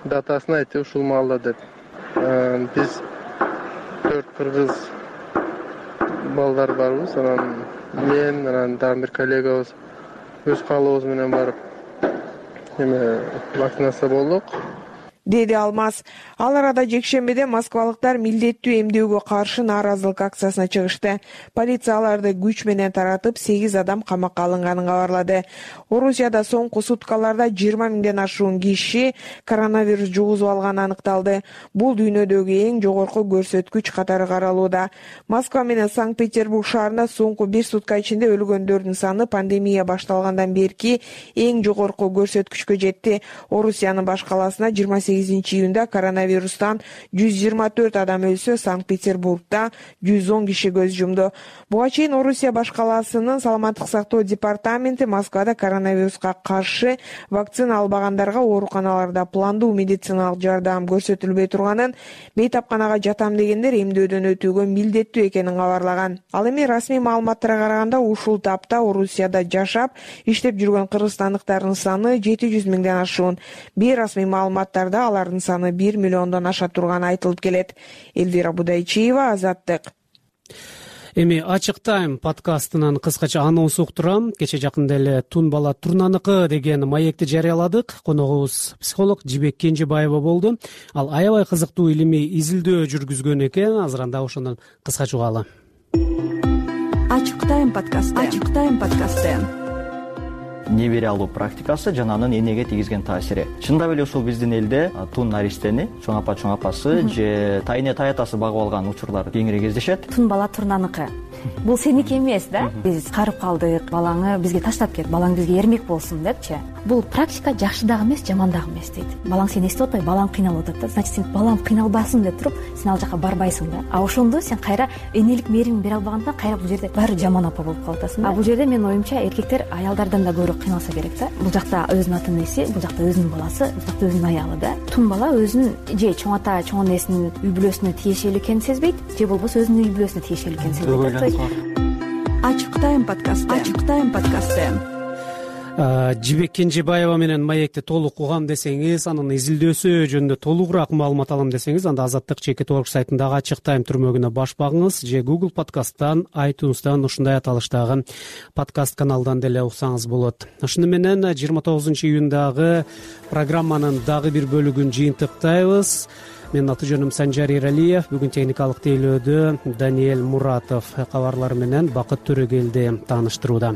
датасын айтып ушул маалда деп. Биз төрт кыргыз балдар барбыз. Анан мен, анан дагы бир коллегабыз өз каалообуз менен барып эме вакцинация болдук, деди Алмаз. Ал арада жекшембиде москвалыктар милдеттүү эмдөөгө каршы нааразылык акциясына чыгышты. Полиция аларды күч менен таратып, сегиз адам камакка алынганын кабарлады. Орусияда соңку суткаларда жыйырма миңден ашуун киши коронавирус жугузуп алганы аныкталды. Бул дүйнөдөгү эң жогорку көрсөткүч катары каралууда. Москва менен Санкт-Петербург шаарында соңку бир сутка ичинде өлгөндөрдүн саны пандемия башталгандан берки эң жогорку көрсөткүчкө жетти. Орусиянын баш каласына жыйырма сегизинчи июнда коронавирустан жүз жыйырма төрт адам өлсө, Санкт-Петербургда жүз он киши көз жумду. Буга чейин Орусия баш каласынын саламаттык сактоо департаменти Москвада коронавируска каршы вакцина албагандарга ооруканаларда пландуу медициналык жардам көрсөтүлбөй турганын, бейтапканага жатам дегендер эмдөөдөн өтүүгө милдеттүү экенин кабарлаган. Ал эми расмий маалыматтарга караганда ушул тапта Орусияда жашап иштеп жүргөн кыргызстандыктардын саны жети жүз миңден ашуун. Бейрасмий маалыматтарда алардын саны бир миллиондон аша турганы айтылып келет. Эльвира Будайчиева, Азаттык. Эми Ачык Тайм подкастынын кыскача анонсу уктурам. Кече жакында эле Тун бала Турнаныкы деген маекти жарыяладык. Коногубуз психолог Жибек Кенжебаева болду. Ал аябай кызыктуу илимий изилдөө жүргүзгөн экен. Азыр анда ошондон кыскача угалы. Ачык Тайм подкасты. Ачык Тайм подкасты. Небере алуу практикасы жана анын энеге тийгизген таасири. Чындап эле ушул биздин элде тун наристени, чоң апа чоң апасы же тайне таятасы багып алган учурлар кеңири кездешет. Тун бала Турнаныкы. Бул сеники эмес да? Биз карып калдык, балаңы бизге таштап кет, балаң бизге эрмек болсун депчи. Бул практика жакшы дагы эмес, жаман дагы эмес дейт. Балаң сени эстеп атпайбы, балаң кыйналып атат да. Значит, сен балаң кыйналбасын деп туруп, сен ал жака барбайсың да. А ошондо сен кайра энелик мээримди бере албаганда кайра бул жерде баары жаман апа болуп калып атасың да. А бул жерде менин оюмча эркектер аялдардан да көбүрөөк кыйналса керек да. Бул жакта өзүнүн ата энеси, бул жакта өзүнүн баласы, бул жакта өзүнүн аялы да. Тун бала өзүнүн же чоң ата, чоң энесинин үй бүлөсүнө тиешелүү экенин сезбейт, же болбосо өзүнүн үй бүлөсүнө тиешелүү экенин сезбейт. Ачык Тайм подкасты. Ачык Тайм подкасты. Жибек Кенжебаева менен маекти толук угам десеңиз, анын изилдөөсү жөнүндө толугураак маалымат алам десеңиз, анда Азаттык чекит орг сайтындагы Ачык Тайм түрмөгүнө баш багыңыз же Google подкасттан, iTunes'тан ушундай аталыштагы подкаст каналдан деле уксаңыз болот. Ошону менен жыйырма тогузунчу июндагы программанын дагы бир бөлүгүн жыйынтыктайбыз. менин аты жөнүм Санжар Эралиев. Бүгүн техникалык тейлөөдө Даниэль Муратов кабарлары менен Бакыт Төрөгелди тааныштырууда.